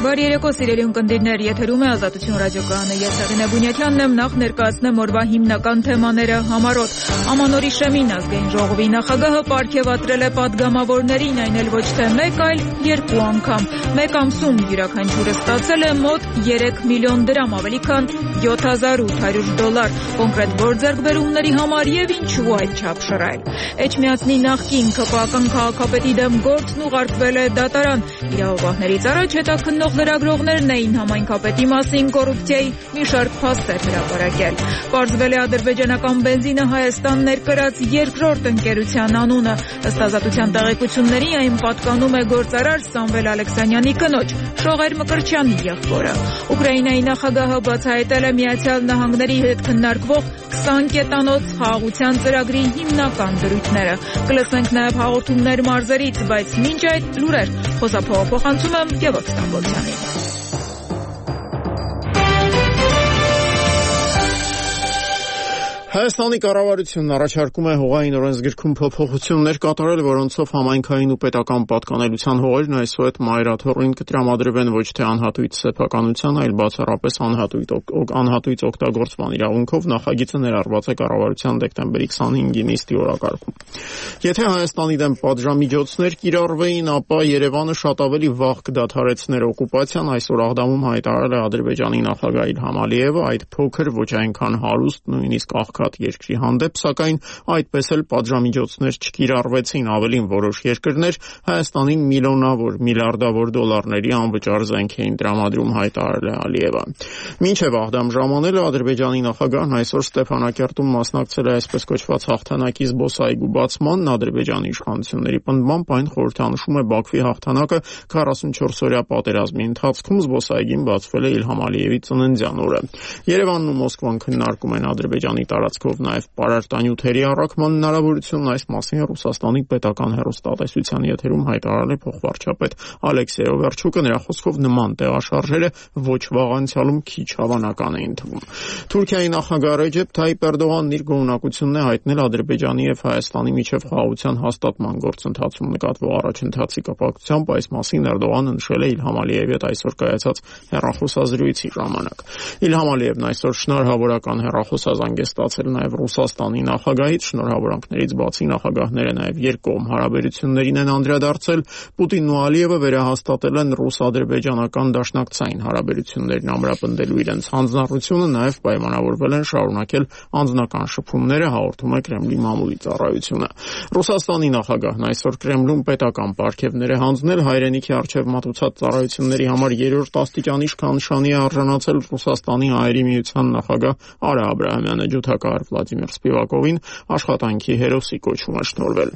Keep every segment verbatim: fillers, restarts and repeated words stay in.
Բարի երեկո, սիրելի ունկնդիրներ, եթերում է Ազատություն ռադիոկայանը, ես Հեղինե Բունյաթյանն եմ, նախ ներկայացնեմ օրվա հիմնական թեմաները համառոտ։ Ամանորի շեմին ազգային ժողովի նախագահը պարգևատրել է պատգամավորներին, այն էլ ոչ թե մեկ, այլ երկու անգամ։ Մեկ ամսում յուրաքանչյուրը ստացել է մոտ երեք միլիոն դրամ, ավելի քան յոթ հազար ութ հարյուր դոլար, կոնկրետ գործերբերումների համար եւ ինչու այդչափ շռայլ։ Էջմիածնի նախկին ՔՊԱ-ական քաղաքապետի դեմ գործն ուղարկվել է դատարան։ Իրավաբաններից առաջ հետաքննող լրագրողներն էին համայնքապետի մասին կոռուպցիայի մի շարք փաստեր հրապարակել։ Պարզվել է ադրբեջանական բենզինը Հայաստան ներկրած երկրորդ ընկերության անունը։ Ըստ ազատության տեղեկությունների այն պատկանում է գործարար Սամվել Ալեքսանյանի կնոջ Շողեր Մկրտչյանի եղբորը։ Ուկրաինայի նախագահը բացահայտել է Միացյալ Նահանգների հետ քննարկվող քսան կետանոց խաղաղության ծրագրի հիմնական դրույթները։ Կլսենք նաև հաղորդումներ մարզերից, բայց մինչ այդ լուրեր խոսափողափոխանցում եմ Գևորգ Ստամբոլցյանին։ Հայաստանի կառավարությունն առաջարկում է հողային օրենսգրքում փոփոխություններ կատարել, որոնցով համայնքային ու պետական պատկանելության հողերն այսուհետ մայրաթոռին կտրամադրվեն ոչ թե անհատույց սեփականության, այլ բացառապես անհատույց անհատույց օգտագործման իրավունքով։ Նախագիծը ներառված է կառավարության դեկտեմբերի քսանհինգի նիստի օրակարգում։ Եթե Հայաստանի դեմ պատժամիջոցներ կիրառվեին, ապա Երևանը շատ ավելի վաղ կդադարեցներ օկուպացիան, այսօր Աղդամում հայտարարել է Ադրբեջանի նախագահ Իլհամ Ալիևը, այդ փոքր, ոչ այնքան հարուստ, նույնիսկ աղքատ երկրի հանդեպ, սակայն այդպես էլ պատժամիջոցներ չկիրառվեցին, ավելին որոշ երկրներ Հայաստանին միլիոնավոր, միլիարդավոր դոլարների անվճար զենք էին տրամադրում, հայտարարել է Ալիևը։ Մինչև Աղդամ ժամանելը Ադրբեջանի նախագահն այսօր Ստեփանակերտում մասնակցել է այսպես կոչված հաղթանակի զբոսայգու բացմանն։ Ադրբեջանի իշխանությունների պնդմամբ այն խորհրդանշում է Բաքվի հաղթանակը քառասունչորս օրյա պատերազմի ընթացքում։ Զբոսայգին բացվել է Իլհամ Ալիևի ծննդյան օրը։ Երևանն ու Մոսկվան քննարկում են Ադրբեջանի տարածքով նաև պարարտանյութերի առաքման հնարավորությունն։ Այս մասին Ռուսաստանի պետական հեռուստատեսության եթերում հայտարարել է փոխվարչապետ Ալեքսեյ Օվերչուկը։ Նրա խոսքով նման տեղաշարժերը ոչ վաղ անցյալում քիչ հավանական էին թվում։ Թուրքիայի նախագահ Ռեջեփ Թայիպ Էրդողանն իր գոհունակությունն է հայտնել Ադրբեջանի եւ Հայաստանի միջև խաղաղության հաստատման գործընթացում նկատվող առաջընթացի կապակցությամբ։ Այս մասին Էրդողանը նշել է Իլհամ Ալիևի հետ այսօր կայացած հեռախոսազրույցի ժամանակ։ Իլհամ Ալիևն այսօր շնորհավորական հեռախոսազանգ է ստացել նաև Ռուսաստանի նախագահից։ Շնորհավորանքներից բացի նախագահները նաև երկկողմ հարաբերություններին են անդրադարձել։ Պուտինն ու Ալիևը վերահաստատել են ռուս-ադրբեջանական դաշնակցային հարաբերություններն ամրապնդելու իրենց հանձնառությունը, նաև պայմանավորվել են շարունակել անձնական շփումները, հաղորդում է Կրեմլի մամուլի ծառայությունը։ Ռուսաստանի նախագահն այսօր Կրեմլում պետական պարգևներ է հանձնել։ Հայրենիքի առջև մատուցած ծառայությունների համար երրորդ աստիճանի իշխանշանի է արժանացել Ռուսաստանի հայերի միության նախագահ Արա Աբրահամյանը։ Ջութակահար Վլադիմիր Սպիվակովին աշխատանքի հերոսի կոչում է շնորհվել։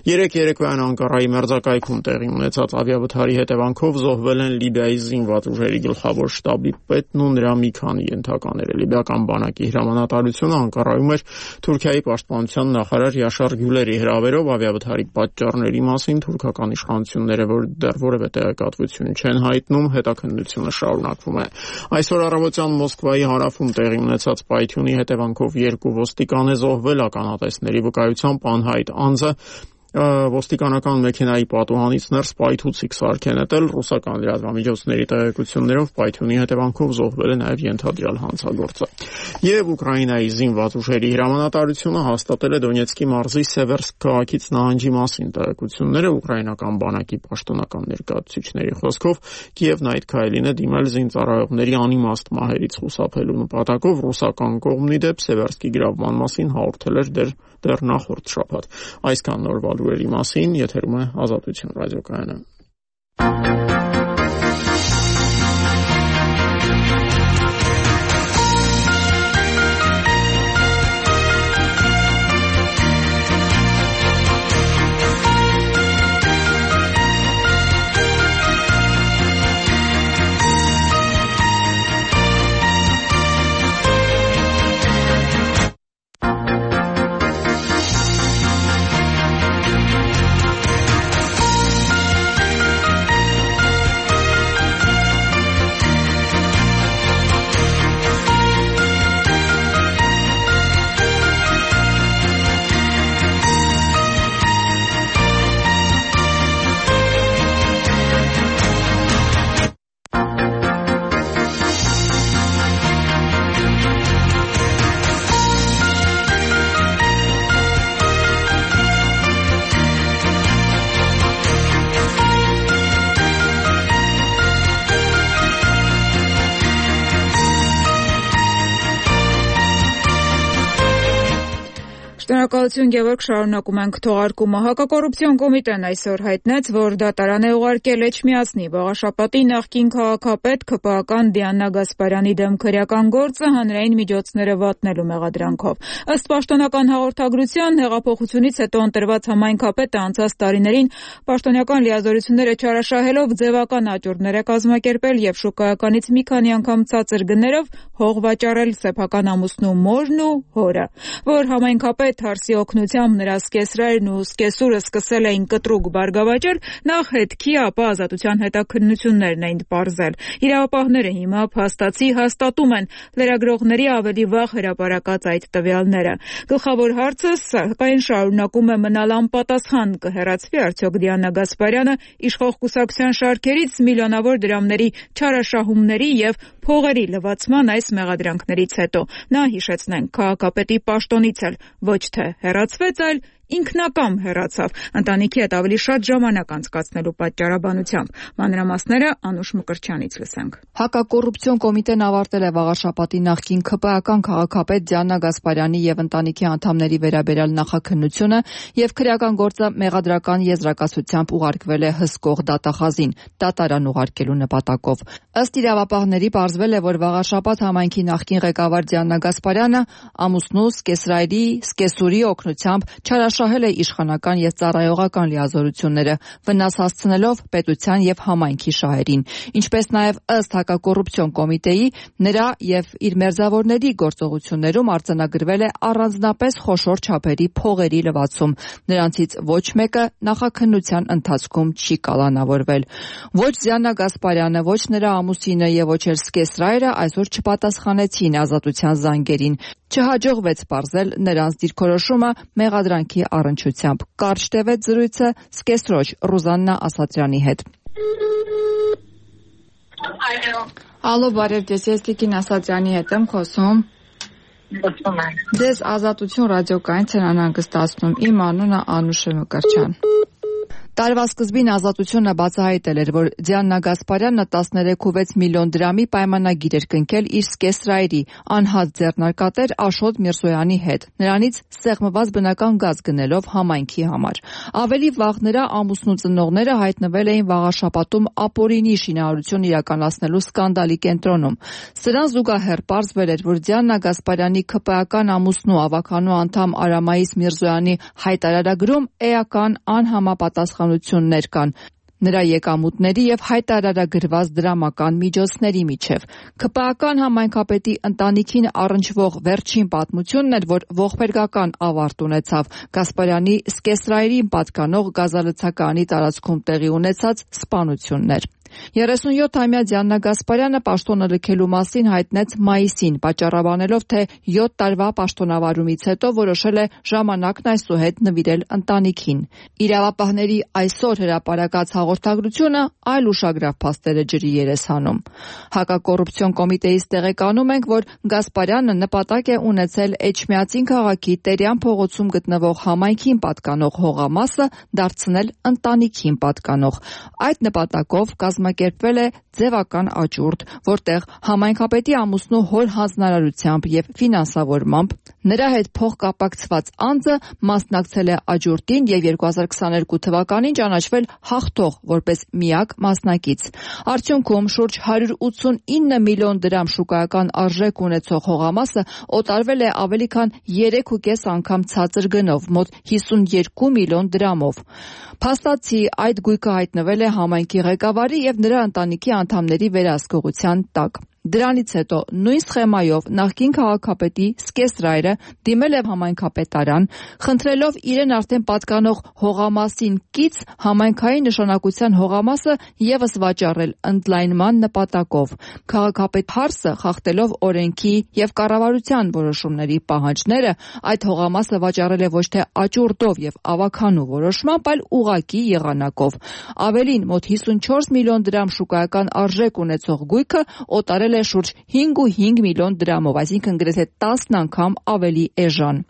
Երեկ երեկոյան Անկարայի մերձակայքում տեղի ունեցած ավիավթարի հետևանքով զոհվել են Լիբիայի զինված ուժերի գլխավոր շտաբի պետն ու նրա մի քանի ենթակաները։ Լիբիական բանակի հրամանատարությունը Անկարայում էր Թուրքիայի պաշտպանության նախարար Յաշար Գյուլերի հրավերով ավիավթարի պատճառների մասին թուրքական իշխանությունները որ դեռ որևէ տեղեկատվություն չեն հայտնում, հետաքննությունը շարունակվում է։ Այսօր առավոտյան Մոսկվայի հարավում տեղի ունեցած պայթյունի հետևանքով երկու ոստիկան է զոհվել, ականատեսների վկայությամբ անհայտ անձը ոստիկանական մեքենայի պատուհանից ներս պայթուցիկ սարք է նետել։ Ռուսական լրատվամիջոցների տեղեկություններով պայթյունի հետևանքով զոհվել է նաև ենթադրյալ հանցագործը։ Եվ Ուկրաինայի զինված ուժերի հրամանատարությունը հաստատել է Դոնեցկի մարզի Սևերսկ քաղաքից նահանջի մասին տեղեկությունները։ Ուկրաինական բանակի պաշտոնական ներկայացուցիչների խոսքով Կիևն այդ քայլին է դիմել զինծառայողների անիմաստ մահերից խուսափելու նպատակով։ Ռուսական կողմի դեպ Սևերսկի գրավման մասին հաղորդել էր դեռ դեռ նախորդ շաբաթ։ Այսքան նորվա լուրերի մասին, եթերում է Ազատություն ռադիոկայանը։ Շնորհակալություն, Գևորգ, շարունակում ենք թողարկումը։ Հակակոռուպցիոն կոմիտեն այսօր հայտնեց, որ դատարան է ուղարկել Էջմիածնի Վաղաշապատի նախկին քաղաքապետ ՔՊԱ-ական Դիանա Գասպարյանի դեմ քրեական գործը հանրային միջոցները վատնելու մեղադրանքով։ Ըստ պաշտոնական հաղորդագրության, հեղափոխությունից հետո ընտրված համայնքապետը անցած տարիներին պաշտոնական լիազորությունները չարաշահելով ձևական աճուրդներ է կազմակերպել եւ շուկայականից մի քանի անգամ ցածր գներով հող վաճառել սեփական ամուսնու մորն ու հորը, որ համայնքապետ Հարսի օգնությամբ նրա սկեսրայրն ու սկեսուրը սկսել էին կտրուկ բարգավաճել, նախ հետքի, ապա ազատության հետաքննություններն էին պարզել։ Իրավապահները հիմա փաստացի հաստատում են լրագրողների ավելի վաղ հրապարակած այդ տվյալները։ Գլխավոր հարցը սակայն շարունակում է մնալ անպատասխան՝ կհեռացվի արդյոք Դիանա Գասպարյանը իշխող կուսակցության շարքերից միլիոնավոր դրամների չարաշահումների եւ փողերի լվացման այս մեղադրանքներից հետո։ Նա, հիշեցնենք, քաղաքապետի պաշտոնից էլ ոչ թե հեռացվեց, այլ ինքնակամ հեռացավ, ընտանիքի հետ ավելի շատ ժամանակ անցկացնելու պատճառաբանությամբ։ Մանրամասները Անուշ Մկրտչյանից լսենք։ Հակակոռուպցիոն կոմիտեն ավարտել է Վաղաշապատի նախկին ՔՊԱ-ական քաղաքապետ Դիանա Գասպարյանի եւ ընտանիքի անդամների վերաբերյալ նախաքննությունը եւ քրեական գործը մեղադրական եզրակացությամբ ուղարկվել է հսկող դատախազին՝ դատարան ուղարկելու նպատակով։ Ըստ իրավապահների պարզվել է, որ Վաղաշապատ համայնքի նախկին ղեկավար Դիանա Գասպարյանը ամուսնու, սկեսրայրի, սկեսուրի օգնությամբ չարաշահել է իշխանական եւ ծառայողական լիազորությունները, վնաս հասցնելով պետության եւ համայնքի շահերին, ինչպես նաեւ ըստ հակակոռուպցիոն կոմիտեի նրա եւ իր մերձավորների գործողություններում արձանագրվել է առանձնապես խոշոր չափերի փողերի լվացում, նրանցից ոչ մեկը նախաքննության ընթացքում չի կալանավորվել։ Ոչ Դիանա Գասպարյանը, ոչ նրա ամուսինը եւ ոչ էլ սկեսրայրը այսօր չպատասխանեցին ազատության զանգերին։ Չհաջողվեց պարզել նրանց դիրքորոշումը մեղադրանքի առնչությամբ։ Կարճ տևեց զրույցը սկեսրոջ Ռուզաննա Ասատրյանի հետ։ Ալո, բարև ձեզ, ես Տիկին Ասատրյանի հետ եմ խոսում։ Ձեզ Ազատություն ռադիոկայից են անհանգստացնում։ Իմ անունը Անուշ Մկրտչյան։ Տարվա սկզբին Ազատությունը բացահայտել էր, որ Դիանա Գասպարյանը տասներեք կόμμα վեց միլիոն դրամի պայմանագիր էր կնքել իր սկեսրայրի անհատ ձեռնարկատեր Աշոտ Միրզոյանի հետ, նրանից սեղմված բնական գազ գնելով համայնքի համար։ Ավելի վաղ նրա ամուսնու ծնողները հայտնվել էին Վաղաշապատում ապօրինի շինարարություն իրականացնելու սկանդալի կենտրոնում։ Սրան զուգահեռ պարզվել էր, որ Դիանա Գասպարյանի ՔՊԱ-ական ամուսնու ավականու անդամ Արամայիս Միրզոյանի հայտարարագրում էական անհամապատասխանություններ կան նրա եկամուտների եւ հայտարարագրված դրամական միջոցների միջև։ ՔՊԱ-ական համայնքապետի ընտանիքին առնչվող վերջին պատմությունն էր, որ ողբերգական ավարտ ունեցավ Գասպարյանի սկեսրայրին պատկանող գազալցականի տարածքում տեղի ունեցած սպանություններ։ երեսունյոթամյա Դիանա Գասպարյանը պաշտոնը լքելու մասին հայտնեց մայիսին, պատճառաբանելով, թե յոթ տարվա պաշտոնավարումից հետո որոշել է ժամանակն այսուհետ նվիրել ընտանիքին։ Իրավապահների այսօր հրապարակած հաղորդագրությունը այլ ուշագրավ փաստեր է ջրի երես հանում։ Հակակոռուպցիոն կոմիտեից տեղեկանում ենք, որ Գասպարյանը նպատակ է ունեցել Էջմիածին քաղաքի Տերյան փողոցում գտնվող համայնքին պատկանող հողամասը դարձնել ընտանիքին պատկանող։ Այդ նպատակով կազմակերպվել է ձևական աճուրդ, որտեղ համայնքապետի ամուսնու հոր հանձնարարությամբ եւ ֆինանսավորմամբ նրա հետ փոխկապակցված անձը մասնակցել է աճուրդին եւ երկու հազար քսաներկու թվականին ճանաչվել հաղթող որպես միակ մասնակից։ Արդյունքում շուրջ հարյուր ութսունինը միլիոն դրամ շուկայական արժեք ունեցող հողամասը օտարվել է ավելի քան երեք ու կես անգամ ցածր գնով՝ մոտ հիսունյոթ միլիոն դրամով։ Փաստացի այդ գույքը հայտնվել է համայնքի ղեկավարի եւ նրա ընտանիքի անդամների վերահսկողության տակ։ Դրանից հետո նույն սխեմայով նախկին քաղաքապետի սկեսրայրը դիմել է համայնքապետարան, խնդրելով իրեն արդեն պատկանող հողամասին կից համայնքային նշանակության հողամասը եւս վաճառել ընդլայնման նպատակով։ Քաղաքապետ Հարսը, խախտելով օրենքի եւ կառավարության որոշումների պահանջները, այդ հողամասը վաճառել է ոչ թե աճուրդով եւ ավականու որոշմամբ, այլ ուղղակի եղանակով։ Ավելին, մոտ հիսունչորս միլիոն դրամ շուկայական արժեք ունեցող գույքը օտարել է շուրջ հինգ ու հինգ միլիոն դրամով, այսինքն գրեթե տասն անգամ ավելի էժան։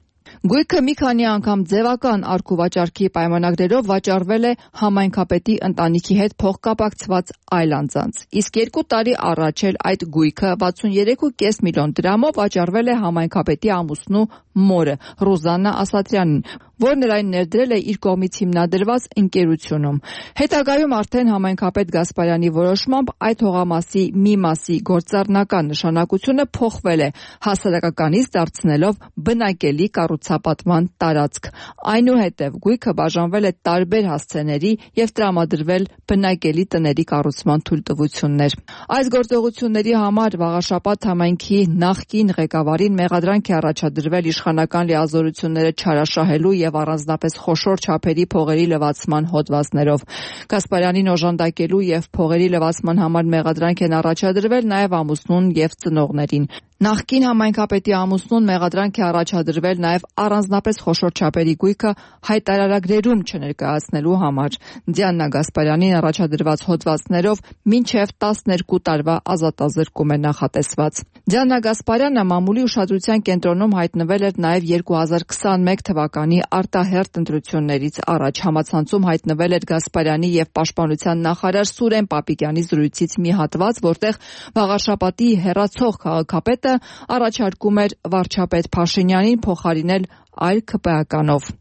Գույքը մի քանի անգամ ձևական արք ու վաճառքի պայմանագրերով վաճառվել է համայնքապետի ընտանիքի հետ փոխկապակցված այլ անձանց, իսկ երկու տարի առաջ էլ այդ գույքը վաթսուններեք ու կես միլիոն դրամով վաճառվել է համայնքապետի ամուսնու մորը Ռուզաննա Ասատրյանին, որն էլ այն ներդրել է իր կողմից հիմնադրված ընկերությունում։ Հետագայում արդեն համայնքապետ Գասպարյանի որոշմամբ այդ հողամասի մի մասի գործառնական նշանակությունը փոխվել է, հասարակականից դարձնելով բնակելի կառուցապատման տարածք։ Այնուհետև գույքը բաժանվել է տարբեր հասցեների եւ տրամադրվել բնակելի տների կառուցման թույլտվություններ։ Այս գործողությունների համար Վաղաշապատ համայնքի նախկին ղեկավարին մեղադրանք է առաջադրվել իշխանական լիազորությունները չարաշահելու եւ առանձնապես խոշոր չափերի փողերի լվացման հոդվածներով։ Գասպարյանին օժանդակելու եւ փողերի լվացման համար մեղադրանք են առաջադրվել նաեւ ամուսնուն եւ ծնողներին։ Նախկին համայնքապետի ամուսնուն մեղադրանք է առաջադրվել նաև առանձնապես խոշոր չափերի գույքը հայտարարագրերում չներկայացնելու համար։ Դիանա Գասպարյանին առաջադրված հոդվածներով մինչև տասներկու տարվա ազատազրկում է նախատեսված։ Դիանա Գասպարյանը մամուլի ուշադրության կենտրոնում հայտնվել էր նաև երկու հազար քսաներեք թվականի արտահերթ ընտրություններից առաջ։ Համացանցում հայտնվել էր Գասպարյանի եւ Պաշտպանության նախարար Սուրեն Պապիկյանի զրույցից մի հատված, որտեղ Վաղաշապատի հեռացող քաղաքապետը առաջարկում էր վարչապետ Փաշինյանին փոխարինել այլ ՔՊԱ-կանով։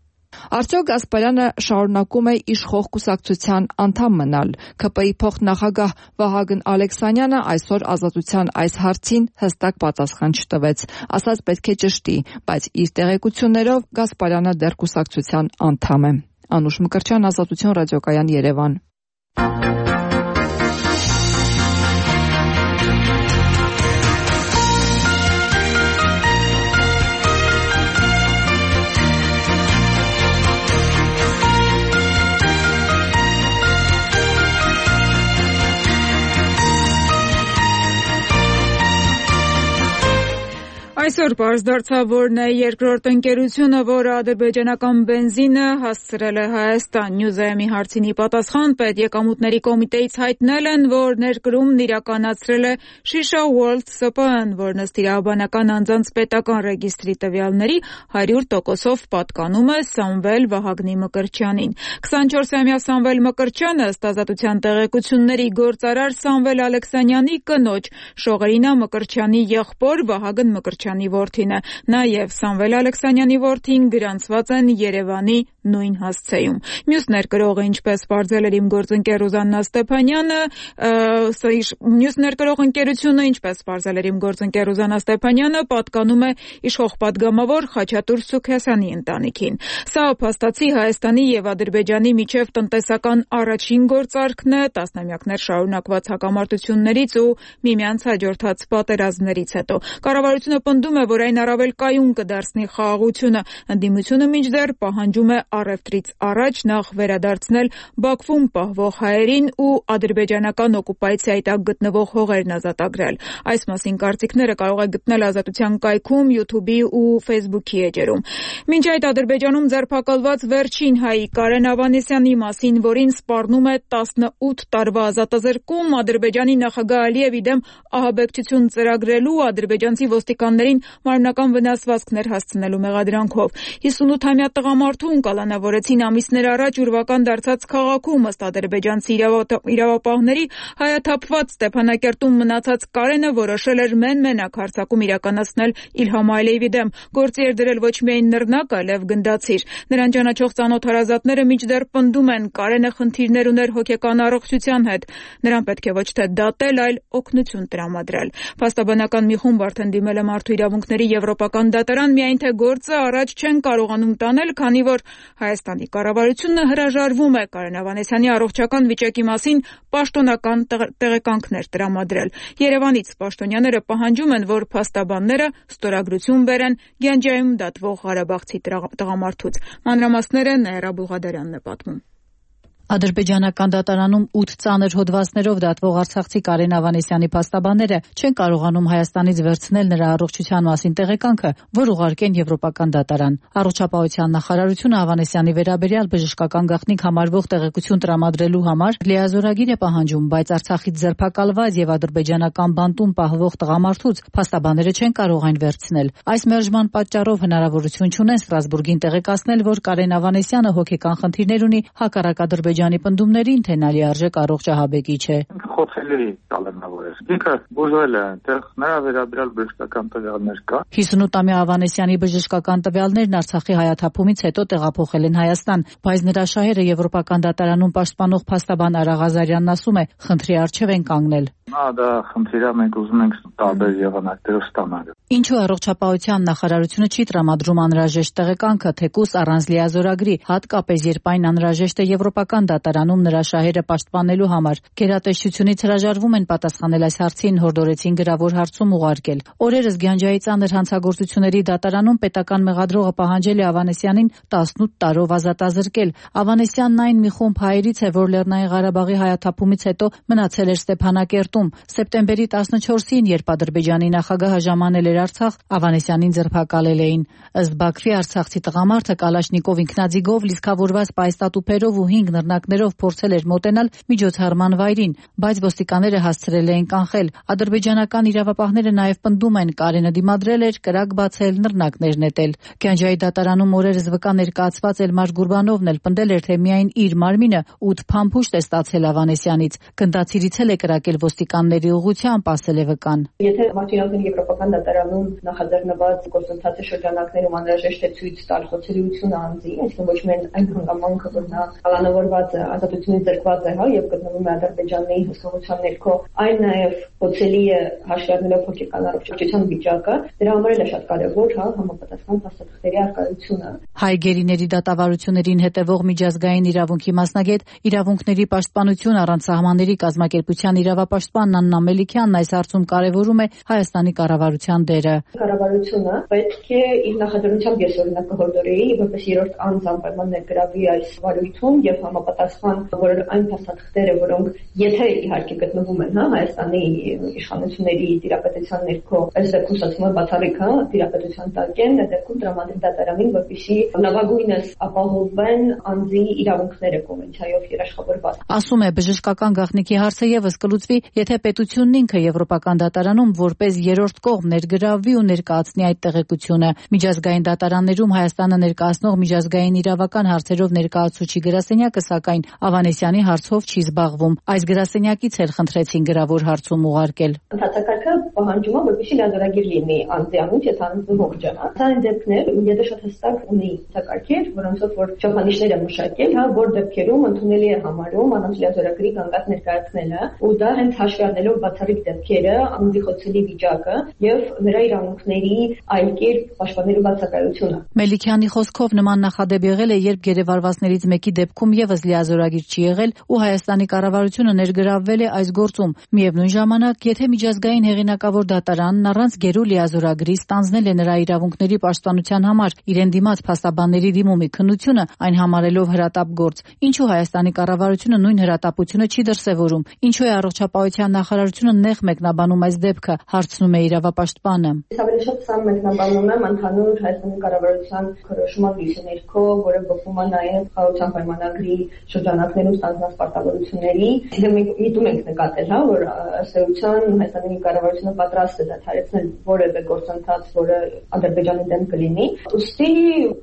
Արդյոք Գասպարյանը շարունակում է իշխող կուսակցության անդամ մնալ։ ՔՊ-ի փոխնախագահ Վահագն Ալեքսանյանը այսօր Ազատության այս հարցին հստակ պատասխան չտվեց, ասաց պետք է ճշտի, բայց իր տեղեկություններով Գասպարյանը դեռ կուսակցության անդամ է։ Անուշ Մկրտչյան, Ազատություն ռադիոկայան, Երևան։ Այսօր պարզ դարձավ, որ նա երկրորդ ընկերությունը, որը ադրբեջանական բենզինը հասցրել է Հայաստան։ Նյուզայմի հարցինի պատասխան պետեկամուտների կոմիտեից հայտնել են, որ ներկրումն իրականացրել է Shisha World Սի Պի Են, որն ըստ իրավաբանական անձանց պետական ռեգիստրի տվյալների հարյուր տոկոսով պատկանում է Սամվել Վահագնի Մկրտչյանին։ քսանչորսամյա Սամվել Մկրտչյանը ըստ Ազատության տեղեկությունների գործարար Սամվել Ալեքսանյանի կնոջ Շողերինա Մկրտչյանի եղբոր Վահագն Մկրտչյանի որդին է։ Նաև Սամվել Ալեքսանյանի որդին գրանցված են Երևանի նույն հասցեում։ Մյուս ներկրողը, ինչպես պարզել էր իմ գործընկեր Ռուզաննա Ստեփանյանը, մյուս ներկրող ընկերությունը, ինչպես պարզել էր իմ գործընկեր Ռուզաննա Ստեփանյանը, պատկանում է իշխող պատգամավոր Խաչատուր Սուքիասյանի ընտանիքին։ Սա փաստացի Հայաստանի եւ Ադրբեջանի միջև տնտեսական առաջին գործարքն է տասնամյակներ շարունակված հակամարտություններից ու միմյանց հաջորդած պատերազմներից հետո։ Կառավարությունը պնդում է, որ այն առավել կայուն կդարձնի խաղաղությունը։ Ընդդիմությունը մինչդեռ պահանջում է առևտրից առաջ նախ վերադարձնել Բաքվում պահվող հայերին ու ադրբեջանական օկուպացիայի տակ գտնվող հողերն ազատագրել։ Այս մասին կարծիքները կարող է գտնել Ազատության կայքում, YouTube-ի ու Facebook-ի էջերում։ Մինչ այդ Ադրբեջանում ձերբակալված վերջին հայի Կարեն Ավանեսյանի մասին, որին սպառնում է տասնութ տարվա ազատազրկում, Ադրբեջանի նախագահ Ալիևի դեմ ահաբեկչություն ծրագրելու, ադրբեջանցի ոստիկաններին մարմնական վնասվածքներ հասցնելու մեղադրանքով։ հիսունութամյա տղամարդուն կալանավորեցին ամիսներ առաջ ուրվական դարձած քաղաքում, ըստ ադրբեջանցի իրավապահների, հայաթափված Ստեփանակերտում մնացած Կարենը որոշել էր մեն-մենակ հարձակում իրականացնել Իլհամ Ալիևի դեմ։ Գործի էր դրել ոչ միայն նռնակ, այլև գնդացիր։ Նրան ճանաչող ծանոթ հարազատները մինչդեռ պնդում են, Կարենը խնդիրներ ուներ հոգեկան առողջության հետ։ Նրան պետք է ոչ թե դատել, այլ օգնություն տրամադրել։ Փաստաբանական մի խումբ արդեն դիմել է Մարդու իրավունքների եվրոպական դատարան, միայն թե գործը առաջ չեն կարողանում տանել, քանի որ Հայաստանի կառավարությունը հրաժարվում է Կարեն Ավանեսյանի առողջական վիճակի մասին պաշտոնական տեղեկանքներ տրամադրել։ Երևանից պաշտոնյաները պահանջում են, որ փաստաբանները ստորագրություն բերեն Գյանջայում դատվող ղարաբաղցի տղամարդուց։ Մանրամասները Նաիրա Բուղադարյանն է պատմում։ Ադրբեջանական դատարանում ութ ծանր հոդվածներով դատվող արցախցի Կարեն Ավանեսյանի փաստաբանները չեն կարողանում Հայաստանից վերցնել նրա առողջության մասին տեղեկանքը, որ ուղարկեն Եվրոպական դատարան։ Առողջապահության նախարարությունը Ավանեսյանի վերաբերյալ բժշկական գաղտնիք համարվող տեղեկություն տրամադրելու համար լիազորագիր է պահանջում, բայց Արցախից ձերբակալված եւ ադրբեջանական բանտում պահվող տղամարդուց փաստաբանները չեն կարող այն վերցնել։ Այս մերժման պատճառով հնարավորություն չունեն Ստրասբուրգին տեղեկացնել, որ Կարեն Ավանեսյանը հոգեկան խնդիրներ ունի, հակառակ Ադրբեջանի պնդումներին, թե նա լիարժեք առողջ ահաբեկիչ է։ Խոցելի կալանավոր է։ Ինքը բուժվել է, այնտեղ նրա վերաբերյալ բժշկական տվյալներ կա։ հիսունութամյա Ավանեսյանի բժշկական տվյալներն Արցախի հայաթափումից հետո տեղափոխել են Հայաստան, բայց նրա շահերը Եվրոպական դատարանում պաշտպանող փաստաբան Արա Ղազարյանն ասում է, խնդրի առջև են կանգնել։ Նա դա խնդիր է, մենք ուզում ենք տարբեր եղանակներով ստանալ։ Ինչու առողջապահության նախարարությունը չի տրամադրում անհրաժեշտ տեղեկանքը, թեկուզ առանց լիազորագրի, հատկապես երբ այն անհրաժեշտ է Եվրոպական դատարանում նրա շահերը պաշտպանելու համար։ Գերատեսչությունից հրաժարվում են պատասխանել այս հարցին, հորդորեցին գրավոր հարցում ուղարկել։ Օրերս Գյանջայի ծանր հանցագործությունների դատարանում պետական մեղադրողը պահանջել է Ավանեսյանին տասնութ տարով ազատազրկել։ Ավանեսյանն այն մի խումբ հայերից է, որ Լեռնային Ղարաբաղի հայաթափումից հետո մնացել էր Ստեփանակերտում։ Սեպտեմբերի տասնչորսին, երբ Ադրբեջանի նախագահը ժամանել էր Արցախ, Ավանեսյանին ձերբակալել էին։ Ըստ Բաքվի, արցախցի տղամարդը Կալաշնիկով ինքնաձիգով, լիցքավորված պայստատուփերով ու հինգ նռնակներով փորձել էր մոտենալ միջոցառման վայրին, բայց ոստիկանները հասցրել էին կանխել։ Ադրբեջանական իրավապահները նաև պնդում են, Կարենը դիմադրել էր, կրակ բացել, նռնակներ նետել։ Գյանջայի դատարանում օրերս վկա ներկայացված Էլմար Գուրբանովն էլ պնդել էր, թե միայն իր մարմինը ութ փամփուշտ է ստացել Ավանեսյանից։ Գնդացիրից էլ է կրակել ոստիկանների ուղղությամբ, ասել է վկան։ Եթե Մարտիրոսյանի Եվրոպական դատարանում նախաձեռնված գործընթացի շրջանակներում անհրաժեշտ է ցույց տալ խոցելիությունը անձի, այսինքն ոչ միայն այն հանգամանքը, որ նա կալանավորված է, ազատությունից զրկված է, հա, եւ գտնվում է Ադրբեջանի հսկողության ներքո, այն նաեւ խոցելի է հաշվի առնելով հոգեկան առողջության վիճակը, դրա համար էլ է շատ կարեւոր, հա, համապատասխան փաստաթղթերի առկայությունը։ Հայ գերիների դատավարություններին հետևող միջազգային իրավունքի մասնագետ, իրավունքների պաշտպանություն առանց սահմանների կազմակերպության իրավապաշտպան Աննա Մելիքյանն այս հարցում կարևորում է Հայաստանի կառավարության դերը։ Կառավարությունը պետք է իր նախաձեռնությամբ ես օրինակ կհորդորեի, որպես երրորդ անձ անպայման ներգրավի այս վարույթում եւ համապատասխան որ այն փաստաթղթերը, որոնք եթե իհարկե գտնվում են, հա, Հայաստանի իշխանությունների տիրապետության ներքո, այս դեպքում ստացվում է բացառիկ, հա, տիրապետության տակ են, այդ դեպքում տրամադրի դատարանին, որպեսզի լավագույնս ապահովեն անձի իրավունքները կոնվենցիայով երաշխավորված։ Ասում է, բժշկական գաղտնիքի հարցը եւս կլուծվի, եթե պետությունն ինքը Եվրոպական դատարանում որպես երրորդ կողմ ներգրավվի ու ներկայացնի այդ տեղեկությունը։ Միջազգային դատարաններում Հայաստանը ներկայացնող միջազգային իրավական հարցերով ներկայացուցիչ գրասենյակը սակայն Ավանեսյանի հարցով չի զբաղվում։ Այս գրասենյակից էլ խնդրեցին գրավոր հարցում ուղարկել։ Ընդհանրակարգը պահանջում է, որպեսզի լիազորագիր լինի անձի անունց, եթե անձը ողջ է։ Այն դեպքներ, եթե շատ հստակ ունի ցակարգեր, որոնցով որ չափանիշներ է մշակել, հա, որ դեպքերում ընդունելի է համարում անձ լիազորագրի կանգնած ներկայացնելը, ու դա հենց հաշվի առնելով բացառիկ դեպքերը, անձի խոցելի վիճակը եւ նրա իրավունքների այլ կերպ պաշտպանելու բացակայությունը։ Մելիքյանի խոսքով նման նախադեպ եղել է, երբ գերեվարվածներից մեկի դեպքում եւս լիազորագիր չի եղել ու Հայաստանի կառավարությունը ներգրավվել է այս գործում։ Միևնույն ժամանակ, եթե միջազգային հեղինակավոր դատարանն առանց գերու լիազորագրի ստանձնել է նրա իրավունքների պաշտպանության համար իրեն դիմաց փաստաբանների դիմումի քննությունը, այն համարելով հրատապ գործ, ինչու Հայաստանի կառավարությունը նույն հրատապությունը չի դրսևորում, ինչու է առողջապահության նախարարությունը նեղ մեկնաբանում այս դեպքը, հարցնում է իրավապաշտպանը։ Ավելի շատ սա մեկնաբանում եմ ընդհանուր Հայաստանի կառավարության քրոշման լույսի ներքո, որը բխում է նաև խաղաղության պայմանագրի շրջանակներում ստանձնած պարտավորությունների։ Դե մենք դիտում ենք նկատել, հա, որ ըստ էության Հայաստանի կառավարությունը պատրաստ է դադարեցնել որևէ գործընթաց, որը Ադրբեջանի դեմ կլինի։ Ուստի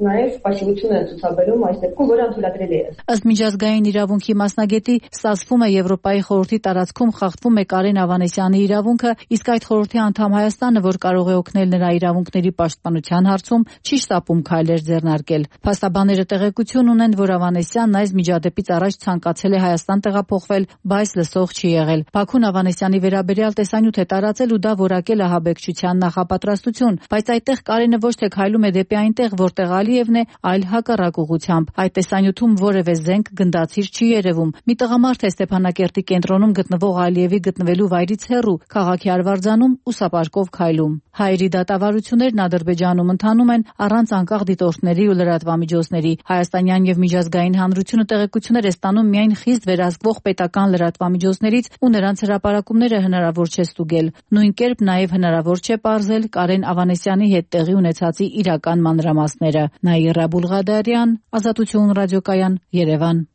նաև պասիվություն է ցուցաբերում այս դեպքում, որը անթույլատրելի է։ Ըստ միջազգային իրավունքի մասնագետի, ստացվում է Եվրոպայի խորհրդի տարածքում խախտվում է Կարեն Ավանեսյանի իրավունքը, իսկ այդ խորհրդի անդամ Հայաստանը, որ կարող է օգնել նրա իրավունքների պաշտպանության հարցում, չի շտապում քայլեր ձեռնարկել։ Փաստաբանները տեղեկություն ունեն, որ Ավանեսյանն այս միջադեպից առաջ ցանկացել է Հայաստան տեղափոխվել, բայց լսող չի եղել։ Բաքուն Ավանեսյանի վերաբերյալ տեսանյութ է տարածել ստացել ու դա որակել ահաբեկչության նախապատրաստություն, բայց այդտեղ Կարենը ոչ թե քայլում է դեպի այնտեղ, որտեղ Ալիևն է, այլ հակառակ ուղղությամբ։ Այդ տեսանյութում որևէ զենք գնդացիր չի երևում։ Մի տղամարդ է Ստեփանակերտի կենտրոնում գտնվող Ալիևի գտնվելու վայրից հեռու, քաղաքի արվարձանում ուսապարկով քայլում։ Հայերի դատավարություններն Ադրբեջանում ընթանում են առանց անկախ դիտորդների ու լրատվամիջոցների։ Հայաստանյան եւ միջազգային հանրությունը տեղեկություններ է ստանում միայն խիստ վերահսկվող պետական լրատվամիջոցներից ու նրանց հրապարակումները հնարավոր չէ ստուգել։ Նույն կերպ նաեւ հնարավոր չէ պարզել Կարեն Ավանեսյանի հետ տեղի ունեցածի իրական մանրամասները։ Նաիրա Բուլղադարյան, Ազատություն ռադիոկայան, Երևան։